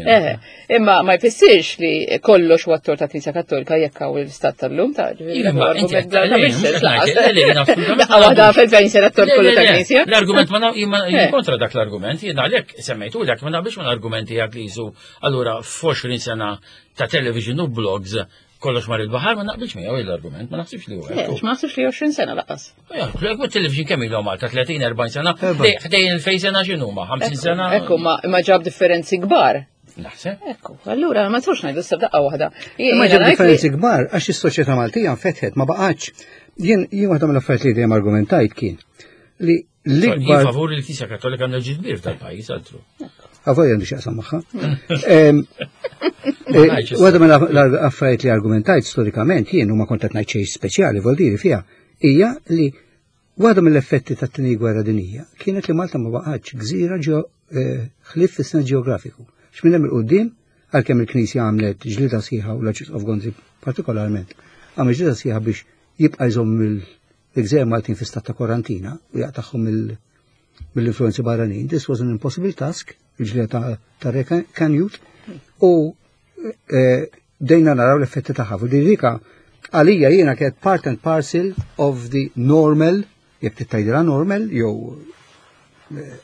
Imma ma jfissirx li kollox huwa t-tort ta' Knisja Kattolika jekk hawn l-istat tal-lum ta' Waħda fil-fejn sena t-tort kollu ta' Knisja. L-argument ma jien kontra dak l-argument, jien għalhekk semmejtu dak ma naqbilx mal-argument tiegħek li jisu allura f'għoxrin sena ta' television u blogs kollox mar il-baħar, ma naqbilx miegħu l-argument, ma naħsibx li huwa. Ma naħsibx li għoxrin sena laqas. Jekk television kemm ilhom Malta tletin erbgħin sena, ħdejn il-fejn sena x'inhuma, ħamsin sena. Ekku, ma ġab differenzi kbar. Naħseb. Ekku, allura ma tafx ngħidu issa daqqa waħda. Ma ġab differenzi kbar għax is-soċjetà Maltija nfetħet ma baqgħetx. Jien jien waħda mill-affarijiet li dejjem argumentajt kien li l-ikbar. Favur il-Knisja Kattolika għandha ġid kbir tal-pajjiż altru. Għavoj għandu xaqsam maħħa. Waħda mill l-affarijiet li argumentajt storikament jien u ma kont qed ngħid xejn speċjali vol diri fiha hija li waħda mill-effetti tat-tieni gwerra dinjija kienet li Malta ma baqgħetx gżira ħlief fis-sens ġeografiku. X'minn hemm il-qudiem għalkemm il-Knisja għamlet ġlida sħiħa u l-Arċisqof Gonzi partikolarment għamel ġlida sħiħa biex jibqa' jżomm il-gżejjer Maltin fi stat ta' kwarantina u jaqtagħhom mill-influenzi barranin. This was an impossible task, il-ġlida ta' Re Canute, u dejna naraw l-effetti tagħha. Fu dika għalija jiena kienet part and parcel of the normal, jekk tittajdilha normal, jew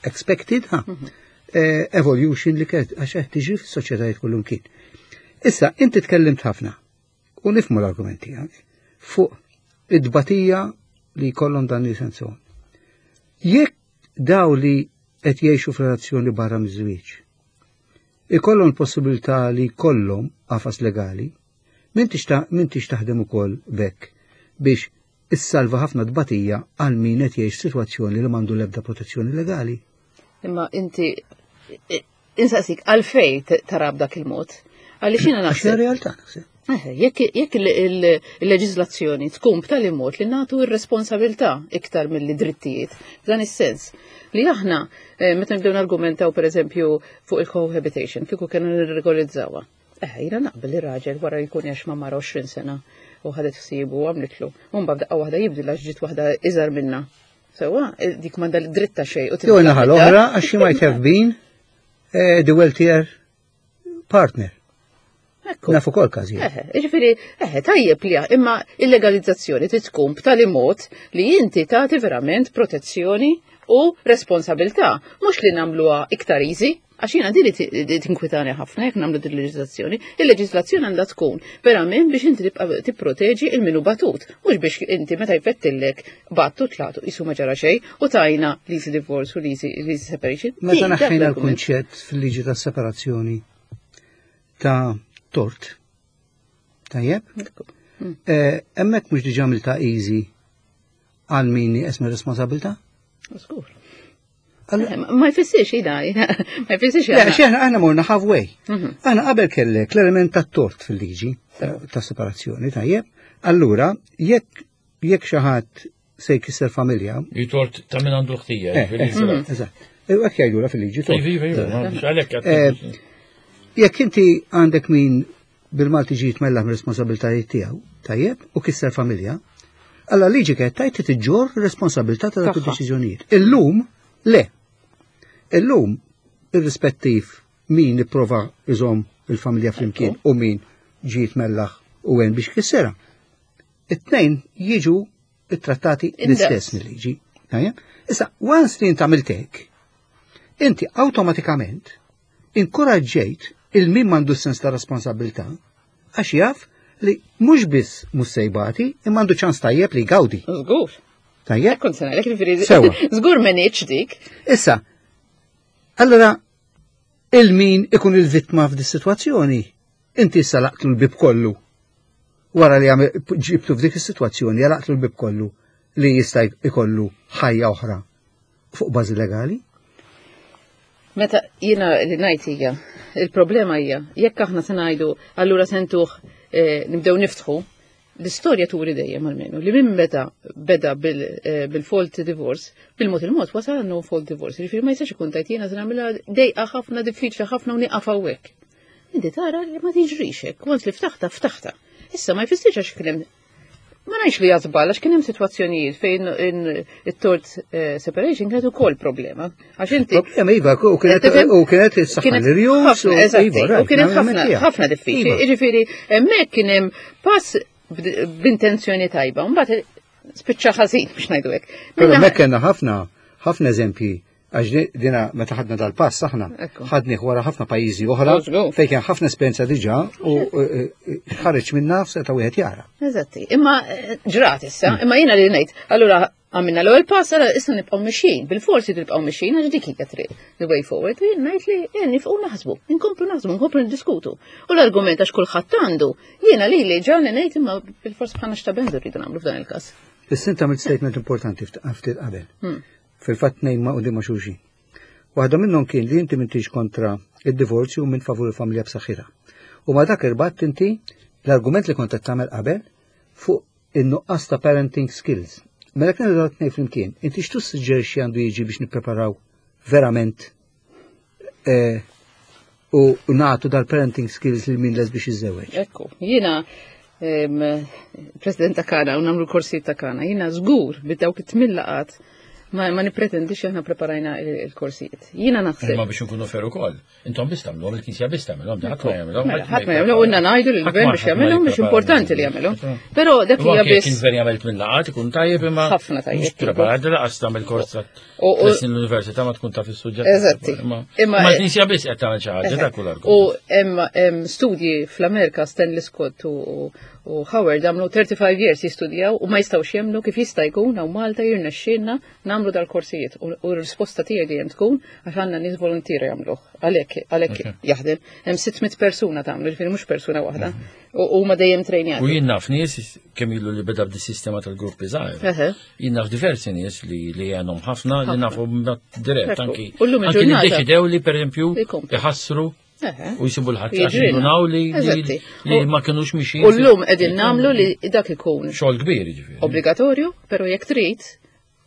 expected, ha, evolution li kienet għax qed tiġi fis-soċjetajiet kullum kien. Issa, inti tkellimt ħafna, u nifhmu l-argument tiegħek, fuq id-dbatija li jkollhom dan il-sensjon. Jekk daw li qed jgħixu f'relazzjoni barra miż-żwieġ, ikollhom l-possibilità li jkollhom qafas legali, m'intix taħdem ukoll b'hekk biex issalva ħafna tbatija għal min qed jgħix sitwazzjoni li m'għandu l-ebda protezzjoni legali. Imma inti insaqsik għalfejn tara b'dak il-mod. Għaliex jiena naħseb. Għax realtà naħseb. Jekk il-leġiżlazzjoni tkun b'tali mod li nagħtu r-responsabilità iktar mill-drittijiet, f'dan is-sens li aħna meta nibdew nargumentaw pereżempju fuq il-cohabitation, kieku kienu nirregolizzawha. Eh, jiena naqbel li raġel wara jkun għex ma' mara għoxrin sena u ħadet ħsiebu u għamlitlu. U mbagħad daqqa waħda jibdilha għax ġiet waħda iżgħar minnha. Sewwa, dik m'għandha dritt ta' xejn. Jew naħa l-oħra għax she might have been the wealthier partner. Nafu kol każijiet. Ġifieri, eħe, tajjeb li imma il-legalizzazzjoni trid tkun b'tali mod li inti tagħti verament protezzjoni u responsabilità, mhux li nagħmluha iktar easy, għax jiena din li tinkwitani ħafna jekk nagħmlu din il-leġiżlazzjoni. Il-leġiżlazzjoni għandha tkun verament biex inti tibqa' tipproteġi il-minu batut, mhux biex inti meta jfettillek battu tlatu qisu ma ġara xejn u tajna l-easy divorce u l-easy separation. Meta naħħejna l-kunċett fil-liġi tas-separazzjoni ta' tort. Tajjeb? Hemmhekk mhux diġà għamilta easy għal min esma responsabilità? Żgur. Ma jfissirx jina, ma jfissirx jina. Le, aħna morna halfway. Aħna qabel kellek l-element tat-tort fil-liġi ta' separazzjoni, tajjeb? Allura, jekk jekk xi ħadd se jkisser familja. Tort ta' min għandu l-ħtija. Eżatt. Hekk jgħidulha fil-liġi tort. Iva, iva, Jekk inti għandek min bil-Malti ġi jitmellaħ mir-responsabilitajiet tiegħu, tajjeb, u kisser familja, alla liġi kienet tajt tiġġor responsabilità ta' dak id-deċiżjonijiet. Illum le. Illum irrispettiv min ipprova iżomm il-familja flimkien u min ġi jitmellaħ u għen biex kissera. It-tnejn jiġu ittrattati l-istess mill-liġi. Tajjeb? Issa, once li int għamilt hekk, inti awtomatikament inkoraġġejt il-min m'għandu sens ta' responsabilità għax jaf li mhux biss mhux se jbati imma għandu ċans tajjeb li jgawdi. Żgur. Tajjeb? Kont se ngħidlek jiġifieri żgur m'għenitx dik. Issa, allora il-min ikun il-vittma f'di sitwazzjoni, inti issa laqtlu l-bib kollu. Wara li ġibtu f'dik is-sitwazzjoni għalaqtlu l-bib kollu li jista' jkollu ħajja oħra fuq bażi legali? Meta jiena li ngħid hija, il-problema hija, jekk aħna se ngħidu allura sentuh eh, nibdew niftħu, l-istorja turi dejjem almenu li minn meta beda bil-fault divorce, bil-mod il-mod wasal no fault divorce. Jiġifieri ma jistax ikun tajt jiena se nagħmilha dejqa ħafna diffiċli ħafna u nieqaf hawnhekk. Inti tara li ma tiġrix hekk, once li ftaħta ftaħta. Issa ma jfissirx għax kien hemm ma ngħidx li żball għax kien hemm sitwazzjonijiet fejn it-tort separation kienet ukoll problema. Għax inti Problema iva, u kienet u kienet is-saħħa l-irjus u kienet ħafna ħafna diffiċli. Jiġifieri hemmhekk kien hemm pass b'intenzjoni tajba, mbagħad spiċċa ħażin biex ngħidu hekk. Però hemmhekk kellna ħafna ħafna eżempji għax dina meta ħadna dal-pass aħna ħadnih wara ħafna pajjiżi oħra fejn kien ħafna esperjenza diġà u ħareġ minna seta' wieħed jara. Eżatti, imma ġrat issa, imma jiena li ngħid, allura għamilna l-ewwel pass, allura issa nibqgħu mixjin, bil-forsi nibqgħu mixjin għax dik hija triq the way forward, u jien ngħid li jien nifqu naħsbu, inkomplu naħsbu, nkomplu niddiskutu. U l-argument għax kulħadd għandu, jiena li li ġalni ngħid imma bil-forsi bħalna x'tabendu rridu nagħmlu f'dan il-każ. Issa inta għamilt statement importanti ftit qabel. Fil-fatt tnejn ma' quddiem ma' xulxin. Waħda minnhom kien li inti m'intix kontra id-divorzju minn favur il-familja b'saħħitha. U ma dak irbatt inti l-argument li kont qed tagħmel qabel fuq in-nuqqas ta' parenting skills. Mela kienu dawn tnejn flimkien, inti x'tu suġġerixxi għandu jiġi biex nippreparaw verament eh, u nagħtu dal-parenting skills lil min les biex jiżżewweġ. Ekku, jiena President ta' Kana u nagħmlu korsijiet ta' Kana, jiena żgur bid-dawk it-tmien laqgħat ma, ma nipretendix aħna preparajna il-korsijiet. Jiena naħseb. Imma biex nkunu fair ukoll. Intom biss tagħmluhom, il-Knisja biss tagħmilhom, ħadd ma jagħmilhom. Mela, ħadd ma jagħmilhom, u ngħidu lill-gvern biex jagħmilhom biex importanti li jagħmilhom. Però dak hija biss. Kien veri għamilt minn laqgħat ikun tajjeb imma. Ħafna tajjeb. Mhux preparat laqas tagħmel kors l-università ma tkun taf is-suġġett. Eżatti. Imma l-Knisja biss qed tagħmel xi ħaġa dak kull U hemm studji fl-Amerika Stanley Scott u u Howard għamlu thirty-five years jistudjaw u ma jistgħux jemmnu kif jista' jkun hawn Malta jirnexxielna nagħmlu dal-korsijiet. U r-risposta tiegħi dejjem tkun għax għandna nies volontieri jagħmluh. Għalhekk għalhekk jaħdem. Hemm sitt mitt persuna tagħmlu, ġifieri mhux persuna waħda. U huma dejjem trejnjati. U jien naf nies kemm ilu li beda b'di sistema tal-gruppi żgħir. Jien naf diversi nies li li għandhom ħafna li nafu dirett anki. Anki li ddeċidew li pereżempju iħassru u jisibu l-ħadd għax jindunaw li li ma kinux mixin. U llum qegħdin nagħmlu li dak ikun xogħol kbir jiġifieri. Obbligatorju, però jekk trid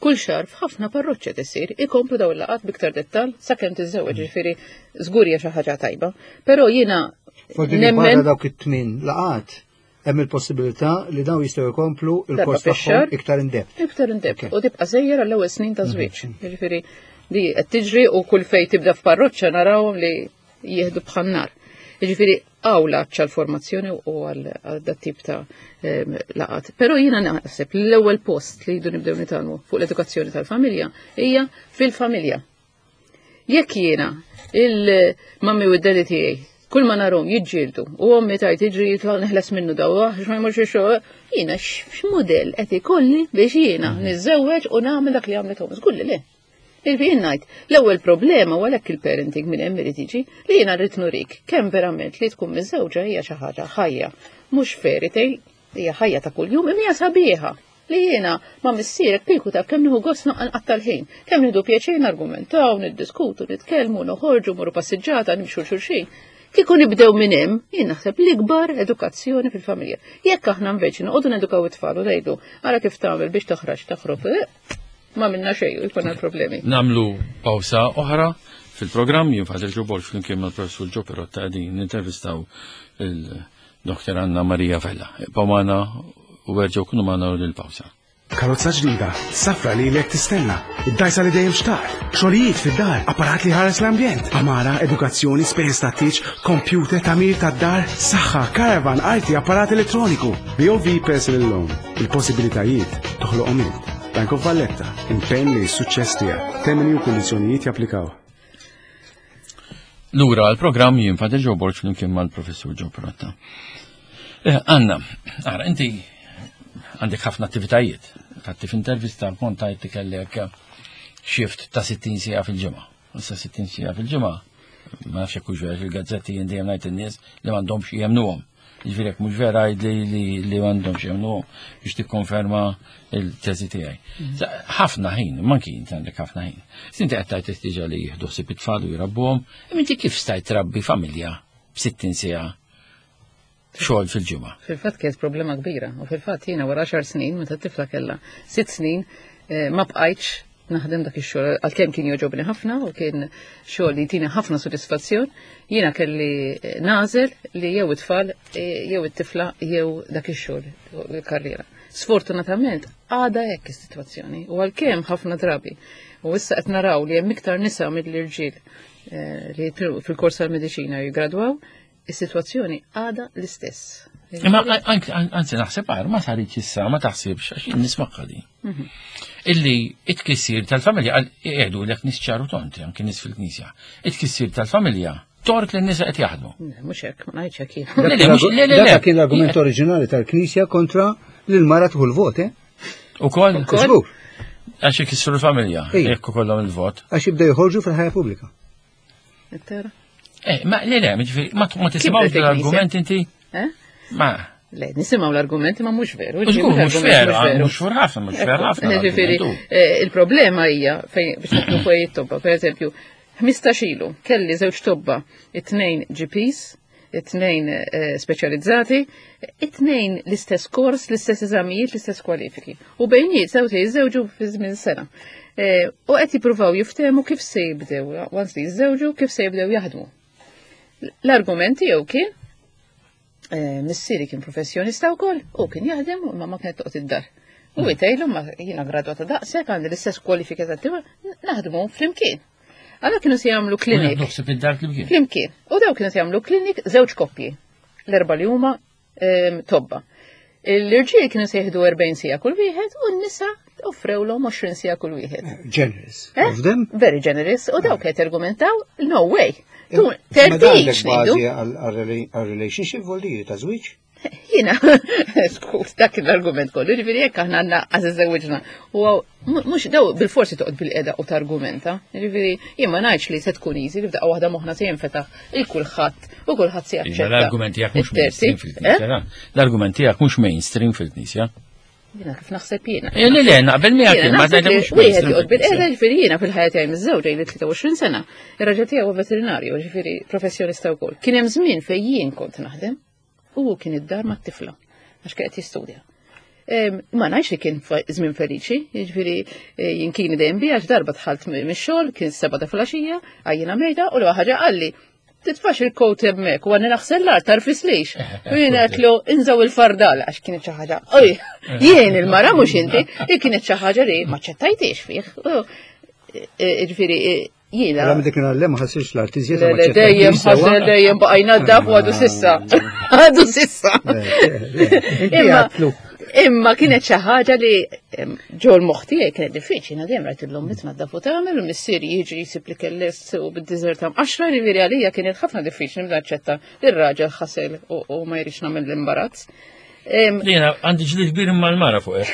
kull xahar f'ħafna parroċċi tisir ikomplu dawn il-laqgħat biktar dettal sakemm tiżżewweġ, jiġifieri żgur hija xi ħaġa tajba. Però jiena nemmen dawk it-tmien laqgħat hemm il-possibilità li dawn jistgħu jkomplu il-kors tagħhom iktar in-depth. Iktar in-depth u tibqa' sejjer għall-ewwel snin ta' żwieġ. Jiġifieri li qed tiġri u kull fejn tibda f'parroċċa narawhom li jieħdu bħan-nar. Jiġifieri hawn l-għatx għall-formazzjoni u għal dat tip ta' laqgħat. Però jiena naħseb li l-ewwel post li jridu nibdew nitgħallmu fuq l-edukazzjoni tal-familja hija fil-familja. Jekk jiena il-mummy u d-daddy tiegħi kull ma narhom jiġġieldu u ommi tajt jiġri jitla' neħles minnu daw għax ma jmurx ix-xogħol, jiena x'mudell qed ikolli biex jiena niżżewweġ u nagħmel dak li għamlet ommi. Żgur li le. Il-fi ngħid, l-ewwel problema u għalhekk il-parenting minn hemm irid jiġi li jiena rrid nurik kemm verament li tkun miżżewġa hija xi ħaġa ħajja, mhux fairy tale, hija ħajja ta' kuljum imma hija sabiħa. Li jiena ma' missierek kieku taf kemm nieħu gost nqatta' l-ħin, kemm nieħdu pjaċir nargumentaw, niddiskutu, nitkellmu, noħorġu, morru passiġġata, nimxu xulxin. Kieku nibdew minn hemm, jien naħseb l-ikbar edukazzjoni fil-familja. Jekk aħna nveċi noqogħdu nedukaw it-tfal u ngħidu ara kif tagħmel biex toħraġ toħrob, ma minna xejn u jkollna problemi. Namlu pawsa oħra fil-programm, jien Father Joe Borg flimkien mal-Professur Joe Pirotta qegħdin nintervistaw il-Doktor Anna Maria Vella. Ibqgħu magħna u erġgħu kunu magħna lil pawsa. Karozza ġdida, safra li lek tistenna, id-dajsa li dejjem xtaqt, xogħlijiet fid-dar, apparat li ħares l-ambjent, għamara, edukazzjoni, spejjeż ta' tieġ, computer, tagħmir tad-dar, saħħa, caravan, arti, apparat elettroniku. B O V Personal Loan, il-possibilitajiet toħloqhom int. Bank of Valletta, impenn li s-suċċess tiegħek. Termini u kundizzjonijiet japplikaw. Lura għal-programm, jien Father Joe Borg flimkien mal-Professur Joe Pirotta. Eh, Anna, ara, inti għandek ħafna attivitajiet. Fatti f'intervista kont tajt kellek shift ta' sittin siegħa fil-ġimgħa. Issa sittin siegħa fil-ġimgħa, ma nafx jekk hux vera, fil-gazzetti jien dejjem ngħid in-nies li m'għandhomx jemnuhom. Jiġifieri jekk mhux vera li li m'għandhomx jemmnu biex tikkonferma il-teżi tiegħi. Ħafna ħin, manki inti għandek ħafna ħin. Inti qed tgħid diġà li jieħdu ħsieb it-tfal u jrabbuhom, imma inti kif stajt trabbi familja b'sittin siegħa xogħol fil-ġimgħa? Fil-fatt kienet problema kbira u fil-fatt jiena wara għaxar snin meta t-tifla kellha sitt snin ma bqajtx naħdem dak ix-xogħol għalkemm kien jogħġobni ħafna u kien xogħol li jtini ħafna sodisfazzjon, jiena kelli nażel li jew it-tfal jew it-tifla jew dak ix-xogħol il-karriera. Sfortunatament għadha hekk is-sitwazzjoni u għalkemm ħafna drabi u issa qed naraw li hemm iktar nisa mill-irġiel li fil-kors tal-mediċina jiggradwaw, is-sitwazzjoni għadha l-istess. Imma anzi naħseb għar ma saritx issa ma taħsibx għax jien nisma' di. Illi it-tkissir tal-familja jgħidu lek nies ċaru tonti anke nies fil-knisja. It-tkissir tal-familja tort li n-nisa qed jaħdmu. Mhux hekk, ma ngħidx hekk jien. Dak kien l-argument oriġinali tal-Knisja kontra li l-mara tieħu l-vot, eh? Ukoll? Għax ikissru l-familja jekk ikollhom il-vot. Għax jibdew joħorġu fil-ħajja pubblika. Eh, ma le le, ma tisimgħux l-argument inti? Ma. Le, nisimgħu l-argumenti ma mhux veru. Mhux veru, mhux fur ħafna, mhux veru ħafna. Ġifieri, il-problema hija fejn biex nagħtu fuq it-tobba, pereżempju, ħmistax ilu kelli żewġ tobba, it-tnejn G Ps, it-tnejn speċjalizzati, it-tnejn l-istess kors, l-istess eżamijiet, l-istess kwalifiki. U bejniet sew se jiżżewġu fi żmien sena. U qed jippruvaw jiftehmu kif se jibdew, once li jiżżewġu, kif se jibdew jaħdmu. L-argument tiegħu kien missieri kien professjonista wkoll u kien jaħdem u mamma kienet toqgħod id-dar. U jtejlu ma jiena gradwata daqshekk għandi l-istess kwalifika tat-tieħor naħdmu flimkien. Allora kienu se jagħmlu klinik. Flimkien. U daw kienu se jagħmlu klinik żewġ koppji. L-erba' li huma tobba. L-irġiel kienu se jieħdu erbgħin siegħa kull wieħed u n-nisa offrewlhom għoxrin siegħa kull wieħed. Generous. Of them? Very generous. U daw kienet argumentaw, no way. Tertix ngħidu. Għal-relationship voldi ta' żwieġ? Jiena, skus, dak l-argument kollu, ġifieri jekk aħna għandna għaż iżżewġna. U mhux daw bil-forsi toqgħod bil-qeda u targumenta. Ġifieri jien ma ngħidx li se tkun easy li f'daqqa waħda moħħna se jinfetaħ il kulħadd u kulħadd se jaċċetta. L-argument tiegħek mhux mainstream fil-Knisja. L-argument tiegħek mhux mainstream fil-Knisja. Jiena kif naħseb jiena. Le le, naqbel miegħek ma ngħidx mhux. Wieħed joqgħod bil-qeda ġifieri jiena fil-ħajja tiegħi miżżewġa ili tlieta u għoxrin sena. Ir-raġel tiegħi huwa veterinarju, ġifieri professjonista wkoll. Kien hemm żmien fejn jien kont naħdem u kien id-dar mat-tifla għax kien qed jistudja. Ma ngħidx li kien żmien feliċi, jiġifieri jien kien dejjem bi għax darba dħalt mix-xogħol, kien seba' ta' filgħaxija, għajjina mejda u l ħaġa qalli titfax il-kowt hemmhekk u għandni naħsel l-art tarfis lix. U jien għedtlu inżaw il-fardal għax kienet xi ħaġa. Oj, jien il-mara mhux inti, hi kienet xi ħaġa li ma ċċettajtix fih. Jiġifieri jiena. Għala dik kien ma ħassirx l-art iżjed. Le dejjem ħasel dejjem baqajna d-daf u għadu sissa. Għadu sissa. Imma kienet xi ħaġa li ġol moħħ tiegħi kienet diffiċli, jiena dejjem rajt illum mitnaddaf u tagħmel u missieri jiġi jsib li kellest u bid-diżerta mqaxra, jiġifieri għalija kienet ħafna diffiċli nibda naċċetta li r-raġel ħasel u ma jridx nagħmel l-imbarazz. Jiena għandi ġlied kbir mal-mara fuq hekk.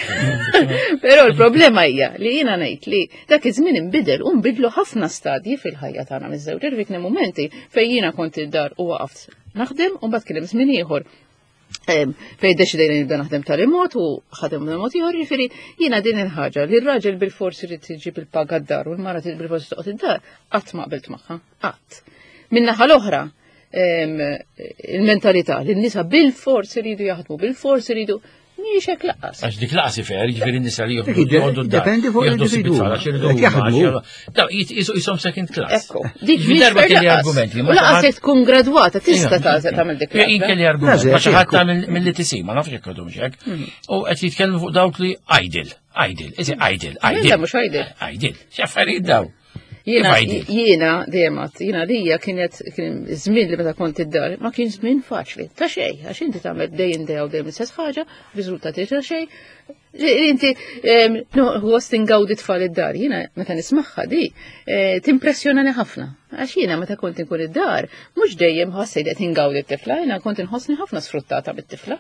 Però l-problema hija li jiena ngħid li dak iż-żmien inbidel u nbidlu ħafna stadji fil-ħajja tagħna miż-żewġ. Ġifieri kien hemm mumenti fejn jiena kont id-dar u waqaft naħdem u mbagħad kien hemm żmien ieħor fejn deċidejna nibda naħdem tal-imot u ħadem mod ieħor, jiġifieri jiena din il-ħaġa li r-raġel bil-forsi jrid iġib il-paga d-dar u l-mara trid bil-forsi toqgħod id-dar, qatt ma qbilt magħha, qatt. Min-naħa l-oħra, il-mentalità li n-nisa bil-forsi jridu jaħdmu, bil-forsi jridu mhijiex hekk laqqas. Għax dik laqas ifer, jiġifieri n-nisa li joħdu d-dar. Dependi fuq l-individwu. Jaħdmu. Jisom second class. Ekku, dik mhix darba kelli argumenti. U laqas jekk tkun gradwata tista' tagħmel dik. Jien kelli argument, ma xi ħadd mill-li tisi, ma nafx jekk għadhom hekk. U qed jitkellmu fuq dawk li idle, idle, is idle, idle. Mhux idle. Idle, x'affarijiet daw. Jiena jiena dejjem jiena lija kienet kien żmien li meta kont id-dar ma kien żmien faċli ta' xejn għax inti tagħmel day in day out dejjem l-istess ħaġa, riżultati ta' xejn, Inti, għost ingawdi tfal id-dar, jiena meta nismaħħa di, eh, timpressjonani ħafna. Għax jiena meta kont inkun id-dar, mhux dejjem ħassejt qed ingawdi t-tifla, jiena kont inħossni ħafna sfruttata mit-tifla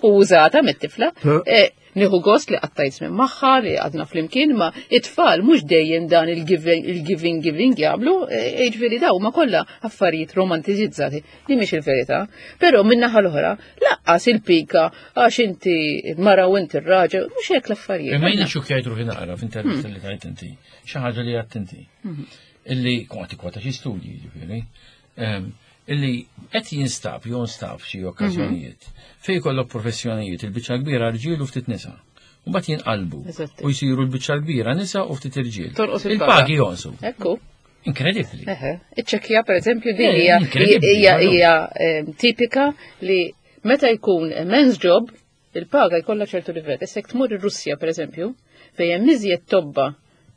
u użata mit-tifla. Eh, Nieħu gost li qattajt minn magħha, li għadna flimkien, ma it-tfal mhux dejjem dan il-giving, il-giving, giving jagħmlu, eh, jiġifieri daw ma kollha affarijiet romantizizzati li mhix il-verità. Però min-naħa l-oħra, laqqas il-pika għax inti mara u inti r-raġel, mhux hekk l-affarijiet. Imma jiena xukjajt ruħi naqra f'intervista li tajt inti, xi ħaġa li għadt inti. Illi kont kwota xi studji ġifieri. Ehm, Illi qed jinstab jew nstab xi okkażjonijiet fejn jkollok professjonijiet il-biċċa kbira rġiel u ftit nisa. U mbagħad jinqalbu Eżatti. u jsiru l-biċċa kbira nisa u ftit irġiel. Tonqos il-paga. Il-pagi jonqsu. Ekku. Inkredibbli. Eħe, iċ-Ċekkja per eżempju din Eh, hija inkredibbli, hija allora. hija em, tipika li meta jkun men's job il-paga jkollha ċertu livell. Issa jekk tmur ir-Russja per eżempju, fejn hemm iżjed tobba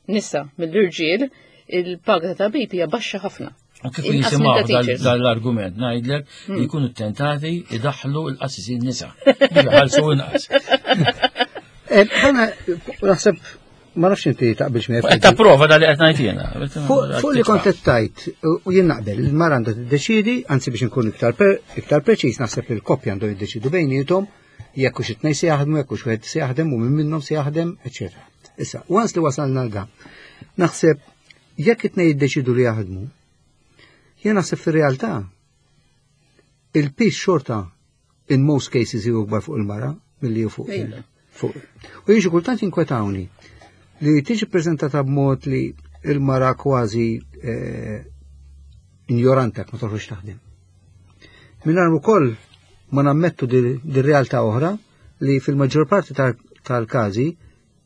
nisa mill-irġiel, il-paga ta' tabib hija baxxa ħafna. U kif Inqas minn jisimgħu ta' teachers. dal-argument ngħidlek li jkunu tentati idaħħlu l-qassisin nisa. Biex iħallsu inqas. Eh, Ħana, naħseb, ma nafx inti taqbilx miegħi. Qed tapprova dal li qed ngħid jiena. Fuq fuq li kont qed tajt, u jien naqbel, il-mara għandha tiddeċiedi, anzi biex nkun iktar per- iktar preċiż, naħseb li l-koppja għandhom jiddeċidu bejniethom jekk hux it-tnejn se jaħdmu, jekk hux wieħed se jaħdem u min minnhom se jaħdem, eċetera. Issa, once li wasalna l da, naħseb jekk it-tnejn jiddeċidu li jaħdmu, jien naħseb fir-realtà il-piż xorta in most cases ju akbar fuq il-mara milli hu fuq il- fuq. U jien xi kultant jinkwetawni li tiġi prezentata b'mod li il-mara kważi eh, ignorantek ma toħroġ taħdem. Mingħajr ukoll ma nammettu di realtà oħra li fil-maġġor parti tal- tal-każi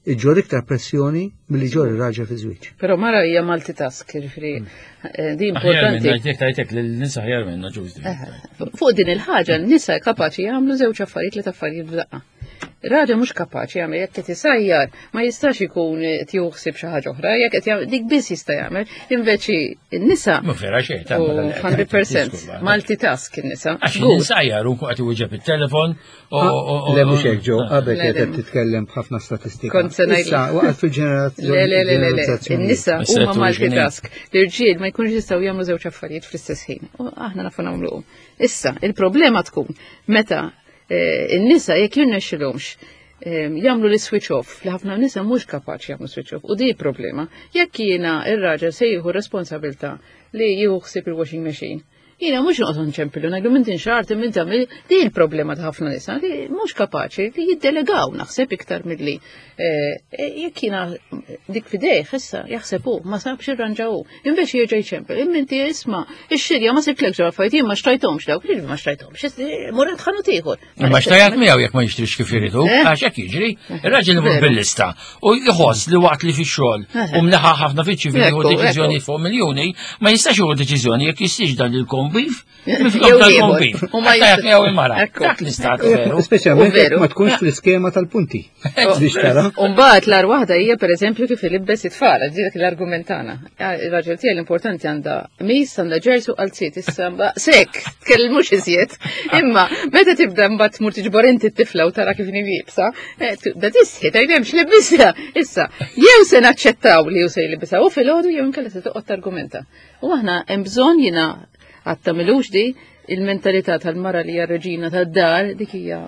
iġġor iktar pressjoni milli ġor ir-raġel fi żwieġ. Però mara hija multitask, jiġifieri eh, di Aħjar minna, importanti. jekk tajtek li l-nisa aħjar minna ġużdi. Fuq din il-ħaġa, n-nisa kapaċi jagħmlu żewġ affarijiet li affarijiet f'daqqa. Raġel mhux kapaċi jagħmel jekk qed isajjar ma jistax ikun qed jieħu xi ħaġa oħra, jekk qed jagħmel dik biss jista' jagħmel. Inveci n-nisa Ma vera xejn, ta' u ma dan li qed mija fil-mija tgħid, multitask in-nisa. Għax Żgur. ninsajjar u qed iwieġeb it-telefon u u- Le mhux hekk ġew, qabel Le, kienet le. qed titkellem b'ħafna statistika. Kont se ngħid- Issa waqgħet fil-ġenerazzjoni. Le, le, le, le, le. In-nisa Issa huma turi x'inhi. multitask. L-irġiel ma jkunux jistgħu jagħmlu żewġ affarijiet fl-istess ħin. U aħna nafu nagħmluhom. Issa, il-problema tkun meta eh, in-nisa jekk jirnexxilhomx eh, jagħmlu li switch off, li ħafna nisa mhux kapaċi jagħmlu switch off. U di problema. Jekk jiena ir-raġel se jieħu responsabilità li jieħu ħsieb il-washing machine. Jiena mhux noqgħod nċempilu ngħidlu minn tinxart minn tagħmel di l-problema ta' ħafna nisa li mhux kapaċi li jiddelegaw naħseb iktar milli eh, jekk jiena dik fidejh issa jaħseb hu ma sabx irranġaw hu. Inveci jerġa' jċempel, imma inti isma' ix-xirja ma siblekx ġo affarijiet jien ma xtrajthomx dawk, jiġifieri ma xtrajthomx, mur għand ħanut ieħor. Ma xtajat miegħu jekk ma jixtrix kif iridu, Eh. għax hekk jiġri, ir-raġel imur Veru. bil-lista u jħoss li waqt li fix-xogħol Eh. u mleħa ħafna fiċ-ċivili Ekku, jieħu deċiżjoni ekku. fuq miljuni, ma jistax jieħu deċiżjoni jekk jistix dan il-kombif, minflok Jew dal-kombif. ieħor. U ma Xtajat jista- miegħu il-mara. Ekku. Dak l-istat veru. Speċjalment U veru. jekk ma tkunx fl-iskema tal-punti. Biex tara. Umbagħad l-ar waħda hija pereżempju kif ilibbes it-tfal, dik l-argument tagħna. Ir-raġel tiegħi l-importanti għandha mis, għandha ġersu għal issa mba- sek, tkellmux iżjed. Imma meta tibda mbagħad tmur tiġbor inti t-tifla u tara kif inhi liebsa, eh, tibda tisħi tgħid hemmx libisha. Issa, jew se naċċettaw li hu se jlibisha u filgħodu jew inkella se toqgħod targumenta. U aħna hemm bżonn jiena għad tagħmilux di il-mentalità tal-mara li hija reġina tad-dar dik hija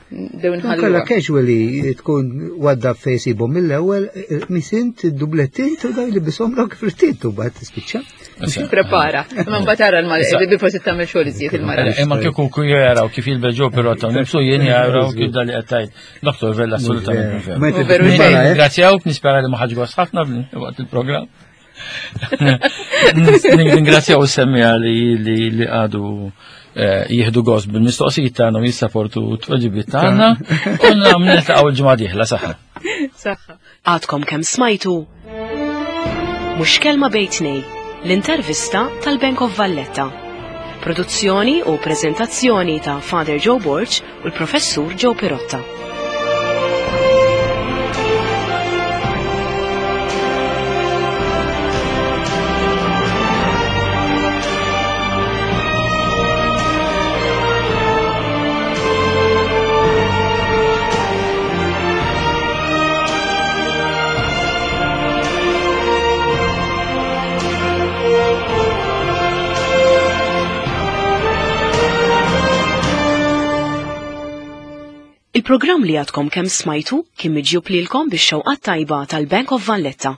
dew Kalla nħalluha. casually tkun wadda fejn sibhom mill-ewwel, misint dublettint u daj li bisom lok fritint u bad tispiċċa. Prepara. Ma mbagħad tara l-mara, bi forsi tagħmel xogħol iżjed il-mara. Imma kieku ku jaraw kif jilbeġu pirota nifsu jien jaraw kif dal li qed tgħid. Dottor Vella assolutament Ma veru. inti U veru mara, xejn. eh? Ringrazzjawk, nispera li ma ħaġ gost ħafna waqt il-programm. Ningrazzjaw is-semmija li li li għadu eh, jieħdu gost bil-mistoqsijiet tagħna u jissaportu t-tweġibiet tagħna u niltaqgħu l-ġimgħa dieħla saħħa. Saħħa. Għadkom kemm smajtu Mhux kelma bejn tnejn, l-intervista tal-Bank of Valletta. Produzzjoni u prezentazzjoni ta' Father Joe Borg u l-Professur Joe Pirotta. Il-programm li għadkom kemm smajtu kien miġjub lilkom bix-xewqat tajba tal-Bank of Valletta.